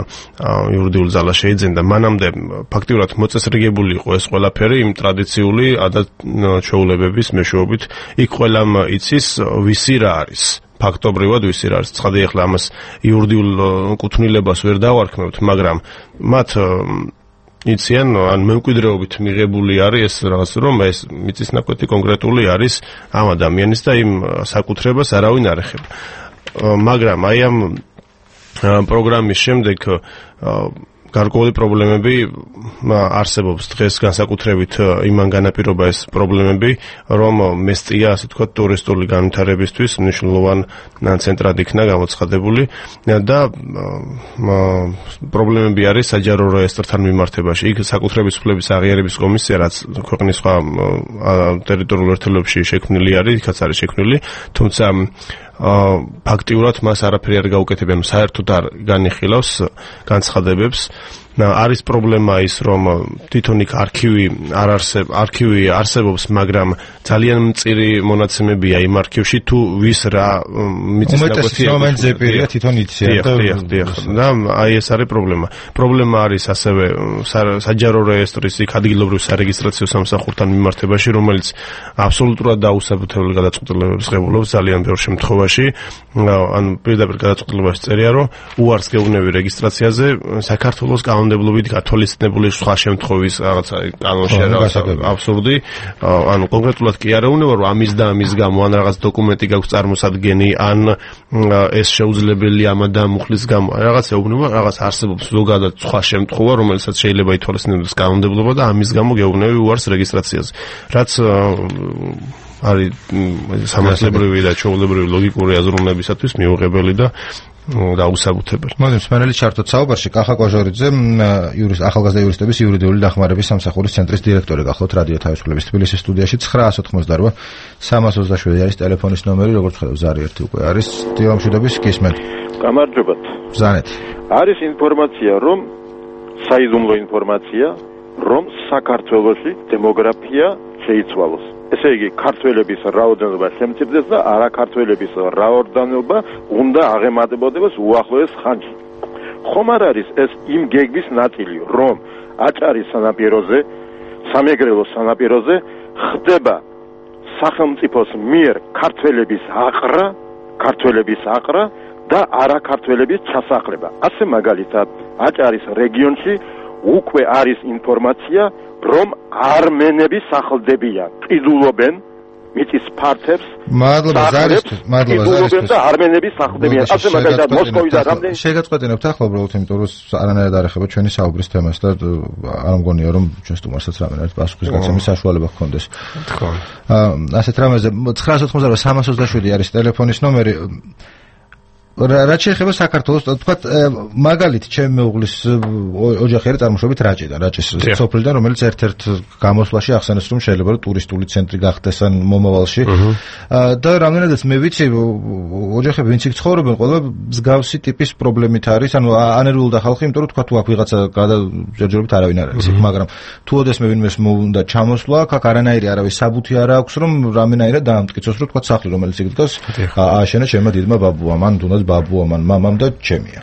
იურიდიულ ძალას შეიძენდა, მანამდე ფაქტიურად მოწესრიგებული იყო ეს ყველაფერი იმ ტრადიციული ადათ-ჩვეულებების მეშვეობით. იქ ყველამ იცის ვისი რა არის. ფაქტობრივად ვისი რა არის. ცხადია, ახლა ამას იურიდიულ კუთვნილებას ვერ დავარქმევთ, მაგრამ მათ იციან, ან მემკვიდრეობით მიღებული არის ეს რაღაც, რომ ეს მიწის ნაკვეთი კონკრეტული არის ამ ადამიანის და იმ საკუთრებას არავინ არ ეხება. მაგრამ აი ამ პროგრამის შემდეგ გარკვეული პრობლემები არსებობს დღეს, განსაკუთრებით იმან განაპირობა ეს პრობლემები, რომ მესტია, ასე ვთქვათ, ტურისტული განვითარებისთვის მნიშვნელოვან ცენტრად იქნა გამოცხადებული და პრობლემები არის საჯარო რეესტრთან მიმართებაში. იქ საკუთრების უფლების აღიარების კომისია, რაც ქვეყნის სხვა ტერიტორიულ ერთეულებში შექმნილი არის, იქაც არის შექმნილი, თუმცა ფაქტიურად მას არაფერი არ გაუკეთებია, საერთოდ არ განიხილავს განცხადებებს. არის პრობლემა ის, რომ თვითონ იქ არქივი არ არსებობს, არქივი არსებობს, მაგრამ ძალიან მწირი მონაცემებია იმ არქივში, თუ ვის რა მიწის ნაკვეთია. უმეტეს ზეპირია თვითონ იციან და და აი ეს არის პრობლემა. პრობლემა არის ასევე საჯარო რეესტრის იქ ადგილობრივ სარეგისტრაციო სამსახურთან მიმართებაში, რომელიც აბსოლუტურად დაუსაბუთებელი გადაწყვეტილებებს ღებულობს ძალიან ბევრ შემთხვევაში. ან პირდაპირ გადაწყვეტილებაში წერია, რომ უარს გეუბნები რეგისტრაციაზე საქართველოს კანონმდებლობით გათვალისწინებული სხვა შემთხვევის რაღაცა კანონში რაღაც აბსურდი. ანუ კონკრეტულად კი არ ეუბნება, რომ ამის და ამის გამო ან რაღაც დოკუმენტი გაქვს წარმოსადგენი, ან ეს შეუძლებელი ამა და მუხლის გამო. რაღაც ეუბნება, რაღაც არსებობს ზოგადად სხვა შემთხვევა, რომელსაც შეიძლება ითვალისწინებდეს კანონმდებლობა და ამის გამო გეუბნები უარს რეგისტრაციაზე. რაც არის სამართლებრივი და ჩვეულებრივი ლოგიკური აზროვნებისათვის მიუღებელი და დაუსაბუთებელი. მოდით სპენელი ჩართოთ საუბარში. კახა კვაჟორიძე, იურის ახალგაზრდა იურისტების იურიდიული დახმარების სამსახურის ცენტრის დირექტორი გახლავთ რადიო თავისუფლების თბილისის სტუდიაში. ცხრაას ოცდაოთხმოცდაოთხ სამას ოცდაშვიდი არის ტელეფონის ნომერი, როგორც ხედავ ზარი ერთი უკვე არის. დილამშვიდობის გისმენთ. გამარჯობათ. ბრძანეთ. არის ინფორმაცია, რომ საიდუმლო ინფორმაცია, რომ საქართველოში დემოგრაფია შეიცვალოს. ესე იგი, ქართველების რაოდენობა შემცირდეს და არაქართველების რაოდენობა უნდა აღემატებოდეს უახლოეს ხანში. ხომ არ არის ეს იმ გეგმის ნაწილი, რომ აჭარის სანაპიროზე, სამეგრელოს სანაპიროზე ხდება სახელმწიფოს მიერ ქართველების აყრა, ქართველების აყრა და არაქართველების ჩასახლება. ასე მაგალითად, აჭარის რეგიონში უკვე არის ინფორმაცია, რომ armenები სახლდებიან, ყიდულობენ მიწის ფართებს. მადლობა ზარისთვის, მადლობა ზარისთვის. და armenები სახლდებიან. ასე მაგალითად მოსკოვიდან რამდენი შეგაწყვეტინებთ ახლა უბრალოდ იმიტომ რომ არანაირად არ ეხება ჩვენი საუბრის თემას და არ მგონია რომ ჩვენ სტუმარსაც რამენად პასუხის გაცემის საშუალება ჰქონდეს. თქო. აა ასეთ რამეზე ცხრაას ოთხმოცდაოთხი სამას ოცდაშვიდი არის ტელეფონის ნომერი. რაც შეეხება საქართველოს, თქვათ მაგალითი ჩემი მეუღლის ოჯახი არის წარმოშობით რაჭიდან, რაჭის სოფლიდან, რომელიც ერთ-ერთ გამოსვლაში ახსენეს, რომ შეიძლება რომ ტურისტული ცენტრი გახდეს ან მომავალში. და რამდენადაც მე ვიცი, ოჯახები ვინც იქ ცხოვრობენ, ყველა მსგავსი ტიპის პრობლემით არის, ანუ ანერვიულდა ხალხი, იმიტომ რომ თქვათ თუ აქ ვიღაცა გადაჯერჯერობით არავინ არ არის იქ, მაგრამ თუ ოდესმე ვინმეს მოუნდა ჩამოსვლა, აქ არანაირი არავის საბუთი არ აქვს, რომ რამენაირად დაამტკიცოს, რომ თქვათ სახლი, რომელიც იქ დგას, ააშენა ჩემმა დიდმა ბაბუამ, ან თუნდაც ბაბუა მან მამამ და ჩემია.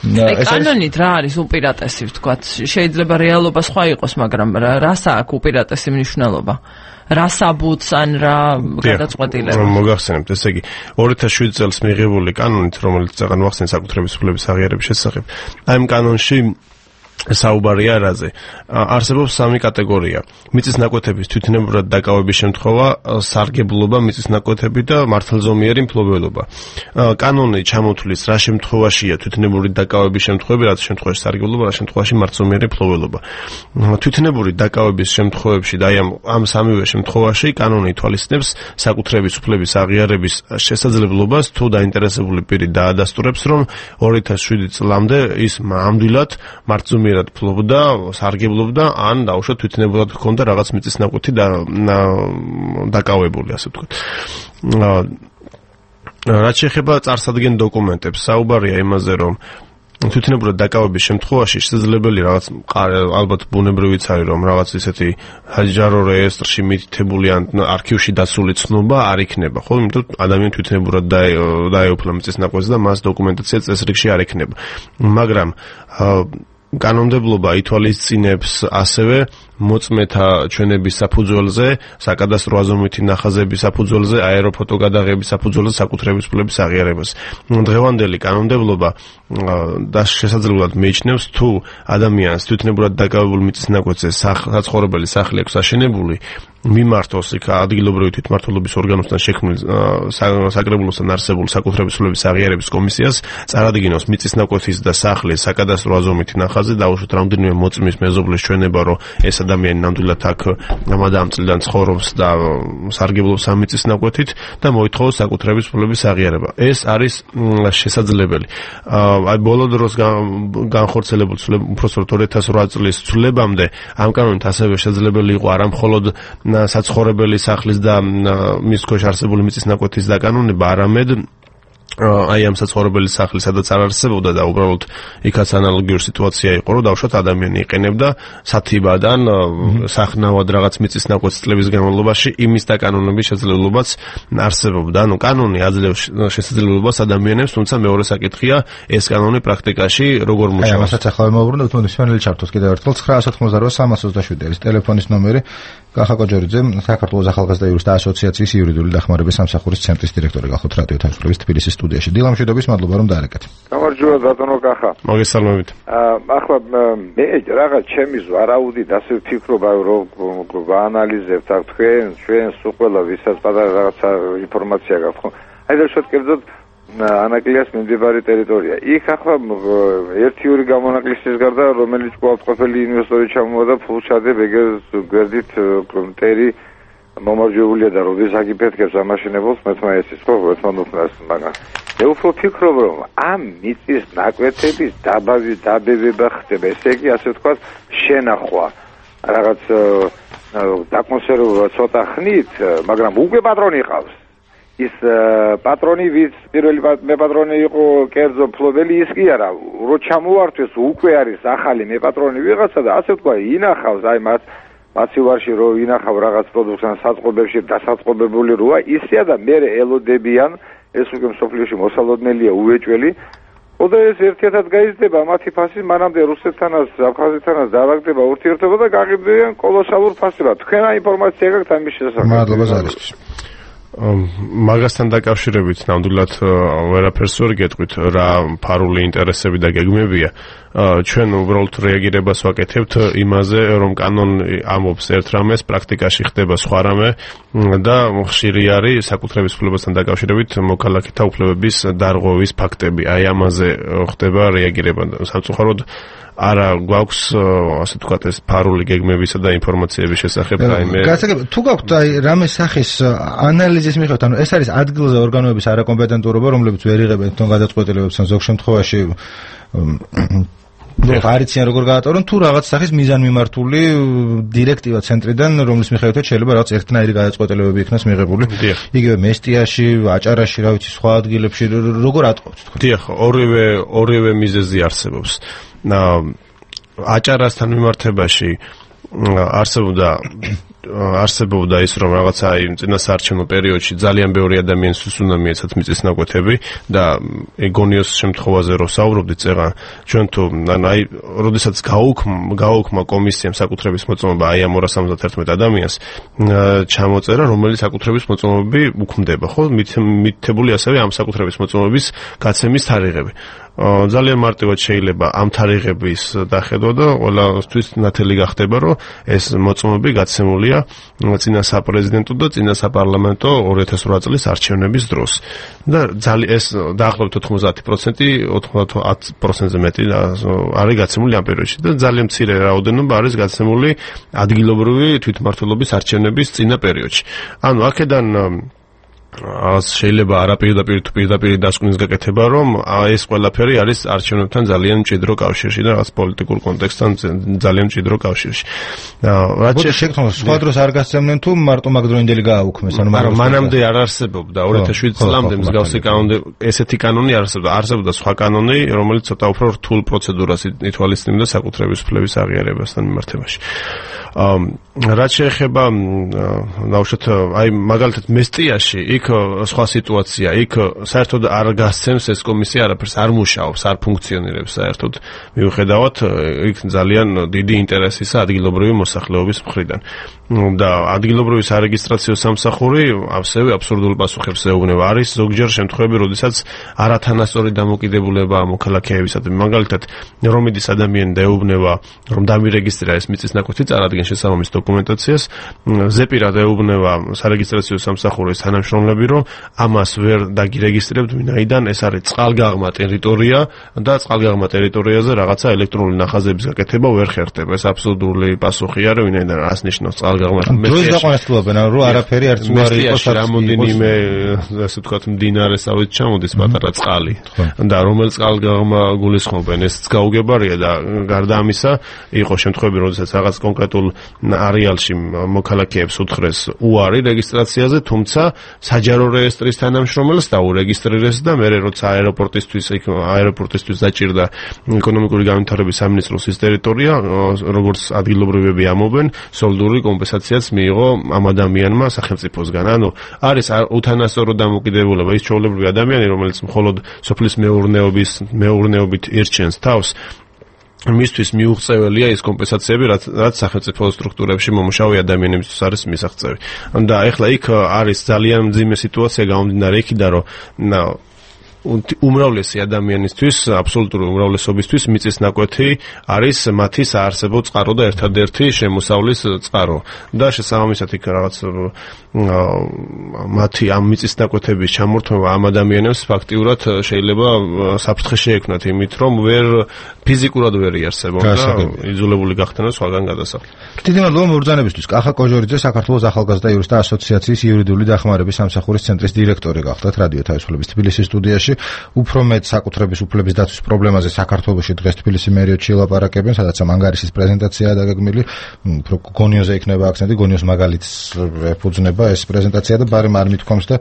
ეს კანონით რა არის უპირატესი ვთქვათ? შეიძლება რეალობა სხვა იყოს, მაგრამ რას აქვს უპირატესი მნიშვნელობა? რა საბუთს ან რა გადაწყვეტილება? მოგახსენებთ, ესე იგი ორი ათას შვიდი წელს მიღებული კანონით, რომელიც წაღან მოახსენეს საკუთრების უფლების აღიარების შესახებ. აი ამ კანონში საუბარია რაზე? არსებობს სამი კატეგორია. მიწის ნაკვეთების თვითნებურად დაკავების შემთხვევა, სარგებლობა, მიწის ნაკვეთები და მართლზომიერი მფლობელობა. კანონი ჩამოთვლის რა შემთხვევაშია თვითნებური დაკავების შემთხვევები, რა შემთხვევაში სარგებლობა, რა შემთხვევაში მართლზომიერი მფლობელობა. თვითნებური დაკავების შემთხვევებში და აი ამ ამ სამივე შემთხვევაში კანონი ითვალისწინებს საკუთრების უფლების აღიარების შესაძლებლობას, თუ დაინტერესებული პირი დაადასტურებს, რომ ორი ათას შვიდი წლამდე ის ნამდვილად მართლზომიერი ფლობდა, სარგებლობდა, ან დაუშვათ თვითნებურად ჰქონდა რაღაც მიწის ნაკვეთი და დაკავებული, ასე ვთქვათ. რაც შეეხება წარსადგენ დოკუმენტებს, საუბარია იმაზე, რომ თვითნებურად დაკავების შემთხვევაში შესაძლებელი რაღაც ალბათ ბუნებრივიც არის, რომ რაღაც ისეთი საჯარო რეესტრში მითითებული ან არქივში დაცული ცნობა არ იქნება, ხო? იმიტომ ადამიანი თვითნებურად დაეუფლა მიწის ნაკვეთს და მას დოკუმენტაცია წესრიგში არ იქნება. მაგრამ კანონმდებლობა ითვალისწინებს ასევე მოწმეთა ჩვენების საფუძველზე, საკადასტრო აზომვითი ნახაზების საფუძველზე, აეროფოტო გადაღების საფუძველზე საკუთრების უფლების აღიარებას. დღევანდელი კანონმდებლობა და შესაძლებლად მიიჩნევს, თუ ადამიანს თვითნებურად დაკავებულ მიწის ნაკვეთზე საცხოვრებელი სახლი აქვს აშენებული, მიმართოს იქ ადგილობრივი თვითმმართველობის ორგანოსთან შექმნილ საკრებულოსთან არსებულ საკუთრების უფლების აღიარების კომისიას, წარადგინოს მიწის ნაკვეთის და სახლის საკადასტრო აზომვითი ნახაზი, დაუშვათ რამდენიმე მოწმის მეზობლის ჩვენება, რომ ეს ადამიანი ნამდვილად აქ ამადამ წლიდან ცხოვრობს და სარგებლობს ამ მიწის ნაკვეთით და მოითხოვოს საკუთრების უფლების აღიარება. ეს არის შესაძლებელი. აი ბოლო დროს განხორციელებულ უпростоროდ ორი ათას ოთხ წლის ცვლილებამდე ამ კანონით ასევე შესაძლებელი იყო არა მხოლოდ საცხოვრებელი სახლის და მის ქვეშ არსებული მიწის ნაკვეთის დაკანონება, არამედ აი ამ საცხოვრებელი სახლის სადაც არ არსებობდა და უბრალოდ იქაც ანალოგიური სიტუაცია იყო, რომ დავუშვათ ადამიანი იყენებდა სათიბადან სახნავად რაღაც მიწის ნაკვეთს წლების განმავლობაში, იმის დაკანონების შესაძლებლობაც არსებობდა. ანუ კანონი აძლევს შესაძლებლობას ადამიანებს, თუმცა მეორე საკითხია ეს კანონი პრაქტიკაში როგორ მუშაობს. აი ამასაც ახლა მოვუბრუნდეთ, თუნდაც სვენელი ჩართოს კიდევ ერთხელ ცხრაას ოთხმოცდაოთხი სამას ოცდაშვიდი არის ტელეფონის ნომერი. კახა კოჯორიძე, საქართველოს ახალგაზრდა იურისტთა ასოციაციის იურიდიული დახმარების სამსახურის ცენტრის დირექტორი, გახოთ რადიო თავისუფლების თბილისის სტუდიაში. დილა მშვიდობის, მადლობა რომ დაარეკეთ. გამარჯობა ბატონო კახა. მოგესალმებით. ახლა მე რაღაც ჩემი ვარაუდით ასე ვფიქრობა, რომ ვაანალიზებთ აქ თქვენ, ჩვენს უყველა ვისაც პატარა რაღაცა ინფორმაცია გაქვთ, ხო? აი და შევთ კერძოდ ანაკლიას მიმდებარე ტერიტორია. იქ ახლა ერთი ორი გამონაკლისის გარდა, რომელიც ყოველწლიური ინვესტორი ჩამოვიდა ფულჩადე ბეგერს გვერდით მტერი მომარჯვებულია და როდის აგიფეთქებს ამაშენებელს მეთმა ესის ხო მეთმანოფნას, მაგრამ მე უფრო ვფიქრობ, რომ ამ მიწის ნაკვეთების დაბავის დაბებება ხდება, ესე იგი ასე ვთქვათ შენახვა რაღაც დაკონსერვება ცოტა ხნით, მაგრამ უკვე პატრონი ყავს. ის პატრონი ვის პირველი მე პატრონი იყო კერძო ფლობელი, ის კი არა, რო ჩამოვართვეს უკვე არის ახალი მე პატრონი ვიღაცა და ასე ვთქვა ინახავს აი მათ მაცივარში რო ინახავ რაღაც პროდუქტს საწყობებში დასაწყობებული როა ისეა და მე ელოდებიან ეს უკვე მსოფლიოში მოსალოდნელია უეჭველი. ოდა ეს ერთიათად გაიზრდება მათი ფასი, მანამდე რუსეთთანაც, აფხაზეთთანაც დაავაგდება ურთიერთობა და გაყიდვიან კოლოსალურ ფასებად. თქვენ აი ინფორმაცია გაქვთ ამის შესახებ? მადლობა ზარისთვის. მაგასთან დაკავშირებით ნამდვილად ვერაფერს ვერ გეტყვით რა ფარული ინტერესები და გეგმებია. ჩვენ უბრალოდ რეაგირებას ვაკეთებთ იმაზე, რომ კანონი ამობს ერთ რამეს, პრაქტიკაში ხდება სხვა რამე და ხშირი არის საკუთრების უფლებასთან დაკავშირებით მოქალაქეთა უფლებების დარღვევის ფაქტები. აი ამაზე ხდება რეაგირება. სამწუხაროდ არა გვაქვს ასე ვთქვათ ეს ფარული გეგმებისა და ინფორმაციების შესახებ რაიმე. გასაგებია, თუ გაქვთ აი რამე სახის ანალიზის მიხედვით, ანუ ეს არის ადგილზე ორგანოების არაკომპეტენტურობა, რომლებიც ვერ იღებენ თვითონ გადაწყვეტილებებს, ან ზოგ შემთხვევაში ნუ არიციან როგორ გაატარონ, თუ რაღაც სახის მიზანმიმართული დირექტივა ცენტრიდან, რომლის მიხედვითაც შეიძლება რაღაც ერთნაირი გადაწყვეტილებები იქნას მიღებული. იგივე მესტიაში, აჭარაში, რა ვიცი, სხვა ადგილებში როგორ ატყობთ თქვენ? დიახ, ორივე ორივე მიზეზი არსებობს. აჭარასთან მიმართებაში არსებობდა არსებობდა ის რომ რაღაცა იმ წინასაარჩევნო პერიოდში ძალიან ბევრი ადამიანისთვის უნდა მიეცათ მიწისნაკვეთები და ეგონიოს შემთხვევაზე რო საუბრობდით წეღან ჩვენ თუ აი როდესაც გააუქმა კომისიამ საკუთრების მოწმობა აი ამ ორას ორმოცდაერთმეტ ადამიანს ჩამოწერა რომელიც საკუთრების მოწმობები უქმდება ხო მითითებული ასევე ამ საკუთრების მოწმობების გაცემის თარიღები ძალიან მარტივად შეიძლება ამ თარიღების დახედვა და ყველასთვის ნათელი გახდება რომ ეს მოწმობები გაცემულია წინა საპრეზიდენტო და წინა საპარლამენტო ორი ათას ოთხ წლის არჩევნების დროს და ძალიან ეს დაახლოებით ოთხმოცდაათი პროცენტი ოცდაათ პროცენტზე მეტი არის გაცემული ამ პერიოდში და ძალიან მცირე რაოდენობა არის გაცემული ადგილობრივი თვითმმართველობის არჩევნების წინა პერიოდში ანუ აქედან შეიძლება არაპირდაპირ თუ პირდაპირ დასკვნის გაკეთება რომ ეს ყველაფერი არის არჩევნებთან ძალიან მჭიდრო კავშირში და რაღაც პოლიტიკურ კონტექსტთან ძალიან მჭიდრო კავშირში. რაც შეგვიძლია სხვა დროს არ გასცემდნენ თუ მარტო მაგდროინდელი გააუქმეს ანუ მაგრამ მანამდე არ არსებობდა ორი ათას შვიდ წლამდე მსგავსი კანონი ესეთი კანონი არსებობდა არსებობდა სხვა კანონი რომელიც ცოტა უფრო რთულ პროცედურას ითვალისწინებდა საკუთრების უფლების აღიარებასთან მიმართებაში. რაც შეეხება ნაუშად აი მაგალითად მესტიაში იქ სხვა სიტუაცია იქ საერთოდ არ გასცემს ეს კომისია არაფერს არ მუშაობს არ ფუნქციონირებს საერთოდ მიუხედავად იქ ძალიან დიდი ინტერესისა ადგილობრივი მოსახლეობის მხრიდან და ადგილობრივი სარეგისტრაციო სამსახური ასევე აბსურდულ პასუხებს ეუბნება არის ზოგჯერ შემთხვევები როდესაც არათანასწორი დამოკიდებულება მოქალაქეებისადმი მაგალითად რომ მიდის ადამიანი და ეუბნება რომ დამირეგისტრირა ეს მიწისნაკვეთი წარადგენ შესაბამის დოკუმენტაციას ზეპირად ეუბნება სარეგისტრაციო სამსახურის თანამშრომლები რომ ამას ვერ დაგირეგისტრირებთ ვინაიდან ეს არის წყალგაღმა ტერიტორია და წყალგაღმა ტერიტორიაზე რაღაცა ელექტრონული ნახაზების გაკეთება ვერ ხერხდება ეს აბსურდული პასუხია რომ ვინაიდან რას ნიშნავს წყალგაღმა დროს დაყვანასtildeობენ რომ არაფერი არც უარი იყოს რამოდენიმე ასე ვთქვათ მდინარესავით ჩამოდის პატარა წყალი და რომელ წყალგაღმა გულისხმობენ ესეც გაუგებარია და გარდა ამისა იყო შემთხვევები როდესაც რაღაც კონკრეტულ არეალში მოქალაქეებს უთხრეს უარი რეგისტრაციაზე თუმცა საჯარო რეესტრის თანამშრომელს დაურეგისტრირეს და მე როცა აეროპორტისთვის იქ აეროპორტისთვის დაჭირდა ეკონომიკური განვითარების სამინისტროს ის ტერიტორია როგორც ადგილობრივები ამობენ სოლიდური კომპენსაციაც მიიღო ამ ადამიანმა სახელმწიფოსგან ანუ არის უთანასწორო დამოკიდებულება ის ჩვეულებრივი ადამიანი რომელიც მხოლოდ სოფლის მეურნეობის მეურნეობით ირჩენს თავს მისთვის მიუღწეველია ის კომპენსაციები რაც რაც სახელმწიფო სტრუქტურებში მომუშავე ადამიანებისთვის არის მისაღწევი და ეხლა იქ არის ძალიან მძიმე სიტუაცია გამომდინარე იქიდან რომ უმრავლესი ადამიანისთვის აბსოლუტური უმრავლესობისთვის მიწისნაკვეთი არის მათი საარსებო წყარო და ერთადერთი შემოსავლის წყარო და შესაბამისად იქ რაღაც მათი ამ მიწისნაკვეთების ჩამორთმევა ამ ადამიანებს ფაქტიურად შეიძლება საფრთხე შეექმნათ იმით რომ ვერ ფიზიკურად ვერ იარსებოდა და იძულებული გახდნენ სხვაგან გადასახლდნენ. დიდი მადლობა მობრძანებისთვის. კახა კოჟორიძე საქართველოს ახალგაზრდა იურისტთა ასოციაციის იურიდიული დახმარების სამსახურის ცენტრის დირექტორი გახდათ რადიო თავისუფლების თბილისის სტუდიაში. უფრო მეტ საკუთრების უფლების დაცვის პრობლემაზე საქართველოში დღეს თბილისის მერიოდში ელაპარაკებენ, სადაც ანგარიშის პრეზენტაციაა დაგეგმილი. უფრო გონიოზე იქნება აქცენტი, გონიოს მაგალითს ეფუძნება ეს პრეზენტაცია და ბარემ არ მithkoms და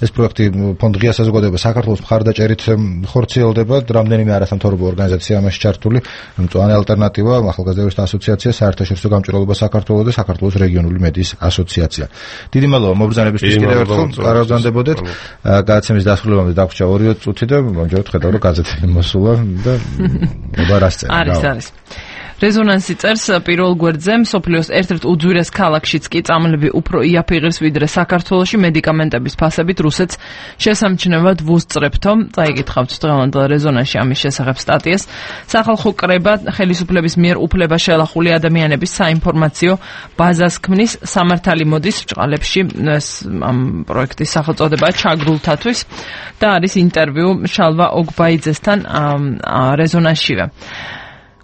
ეს პროექტი ფონდ ღია საზოგადოება საქართველოს მხარდაჭერით ხორციელდება. რამდენიმე არასამთავრობო ორგანიზაცია ამაში ჩართული, მწვანე ალტერნატივა, ახალგაზრდა იურისტთა ასოციაცია, საერთაშორისო გამჭვირვალობა საქართველოს და საქართველოს რეგიონული მედიის ასოციაცია. დიდი მადლობა მობრძანებისთვის კიდევ ერთხელ, კარავზანდებოდეთ. გადაცემის დასრულებამდე დაგვრჩა ორი წუთი და მომჯეროთ ხედავ რომ გაზეთი მოსულა და აბა რა სცენა არის არის რეზონანსი წერს პირველ გვერდზე მსოფლიოს ერთ-ერთ უძვირეს ქალაქშიც კი წამლები უფრო იაფიღებს ვიდრე საქართველოში მედიკამენტების ფასებით რუსეთს შესამჩნევად ვუსწრებთო. წაიკითხავთ დღევანდელ რეზონანსში ამის შესახებ სტატიას. სახალხო კრება ხელისუფლების მიერ უფლება შელახული ადამიანების საინფორმაციო ბაზას ქმნის. სამართალი მოდის ბრჭყალებში, ეს ამ პროექტის სახელწოდებაა ჩაგრულთათვის და არის ინტერვიუ შალვა ოგბაიძესთან რეზონანსშივე.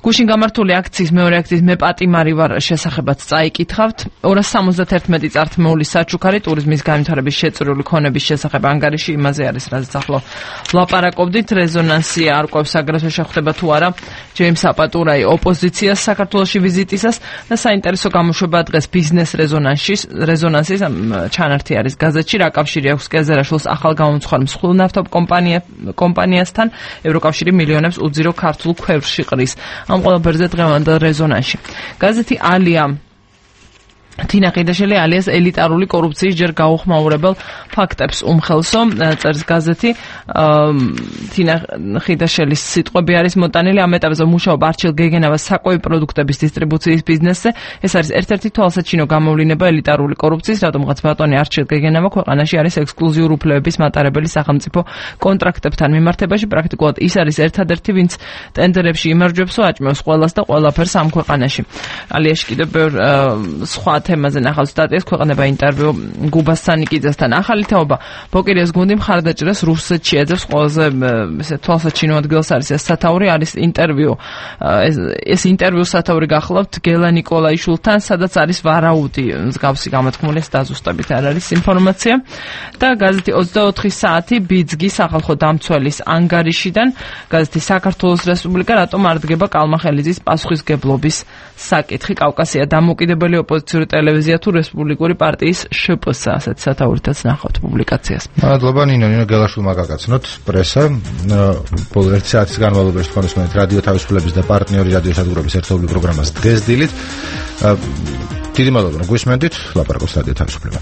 გუშინ გამართული აქციის მეორე აქციის მე პატიმარი ვარ შესახებაც წაიკითხავთ. ორას სამოცდაერთმეტი წართმეული საჩუქარი ტურიზმის განვითარების შეწირული ქონების შესახებ ანგარიში იმაზე არის, რაზეც ახლა ლაპარაკობდით. რეზონანსი არ ყვევს აგრეთვე შეხვდება თუ არა ჯეიმს აპატურაი ოპოზიციას საქართველოში ვიზიტისას და საინტერესო გამოშვება დღეს ბიზნეს რეზონანსის რეზონანსის ჩანართი არის გაზეთში. რა კავშირი აქვს კეზერაშვილს ახალ გამომცხარ მსხვილ ნავთობ კომპანიასთან? ევროკავშირი მილიონებს უძირო ქართულ ქვევრში ყრის. ამ ყველაფერზე დღევანდელ რეზონანსში. გაზეთი ალია თინა ხიდაშელი ალიას ელიტარული კორუფციის ჯერ გაუხმაურებელ ფაქტებს უმხელსო, წერს გაზეთი. თინა ხიდაშელის სიტყვები არის მოტანილი ამ ეტაპზე მუშაობა არჩილ გეგენავას საკვები პროდუქტების დისტრიბუციის ბიზნესზე. ეს არის ერთ-ერთი თვალსაჩინო გამოვლინება ელიტარული კორუფციის, რადგანაც ბატონი არჩილ გეგენავა ქვეყანაში არის ექსკლუზიური უფლებების მატარებელი სახელმწიფო კონტრაქტებთან მიმართებაში. პრაქტიკულად ის არის ერთადერთი, ვინც ტენდერებში იმარჯვებსო, აჭმევს ყველას და ყველაფერს ამ ქვეყანაში. ალიაში კიდევ ბევრ სხვა თემაზე ნახავთ სტატიას, ქვეყნება ინტერვიუ გუბას სანიკიძესთან. ახალი თაობა ბოკირიას გუნდი მხარდაჭერას რუსეთში ეძებს. ყველაზე ესე თვალსაჩინო ადგილს არის ეს სათაური, არის ინტერვიუ. ეს ინტერვიუ სათაური გახლავთ გელა ნიკოლაიშვილთან, სადაც არის ვარაუდი მსგავსი გამოთქმული, ეს დაზუსტებით არ არის ინფორმაცია. და გაზეთი ოცდაოთხი საათი ბიძგი სახალხო დამცველის ანგარიშიდან. გაზეთი საქართველოს რესპუბლიკა რატომ არ დგება კალმახელიძის პასუხისგებლობის საკითხი. კავკასია დამოუკიდებელი ოპოზიციური ტელევიზია თუ რესპუბლიკური პარტიის შპს, ასეთ სათაურითაც ნახავთ პუბლიკაციას. მადლობა ნინო, ნინო გელაშვილმა გაგაცნოთ პრესა. ბოლო ერთი საათის განმავლობაში თქვენ უსმენთ რადიო თავისუფლების და პარტნიორი რადიო სადგურების ერთობლივ პროგრამას დღეს დილით. დიდი მადლობა, რომ გვისმენთ. ლაპარაკობს რადიო თავისუფლება.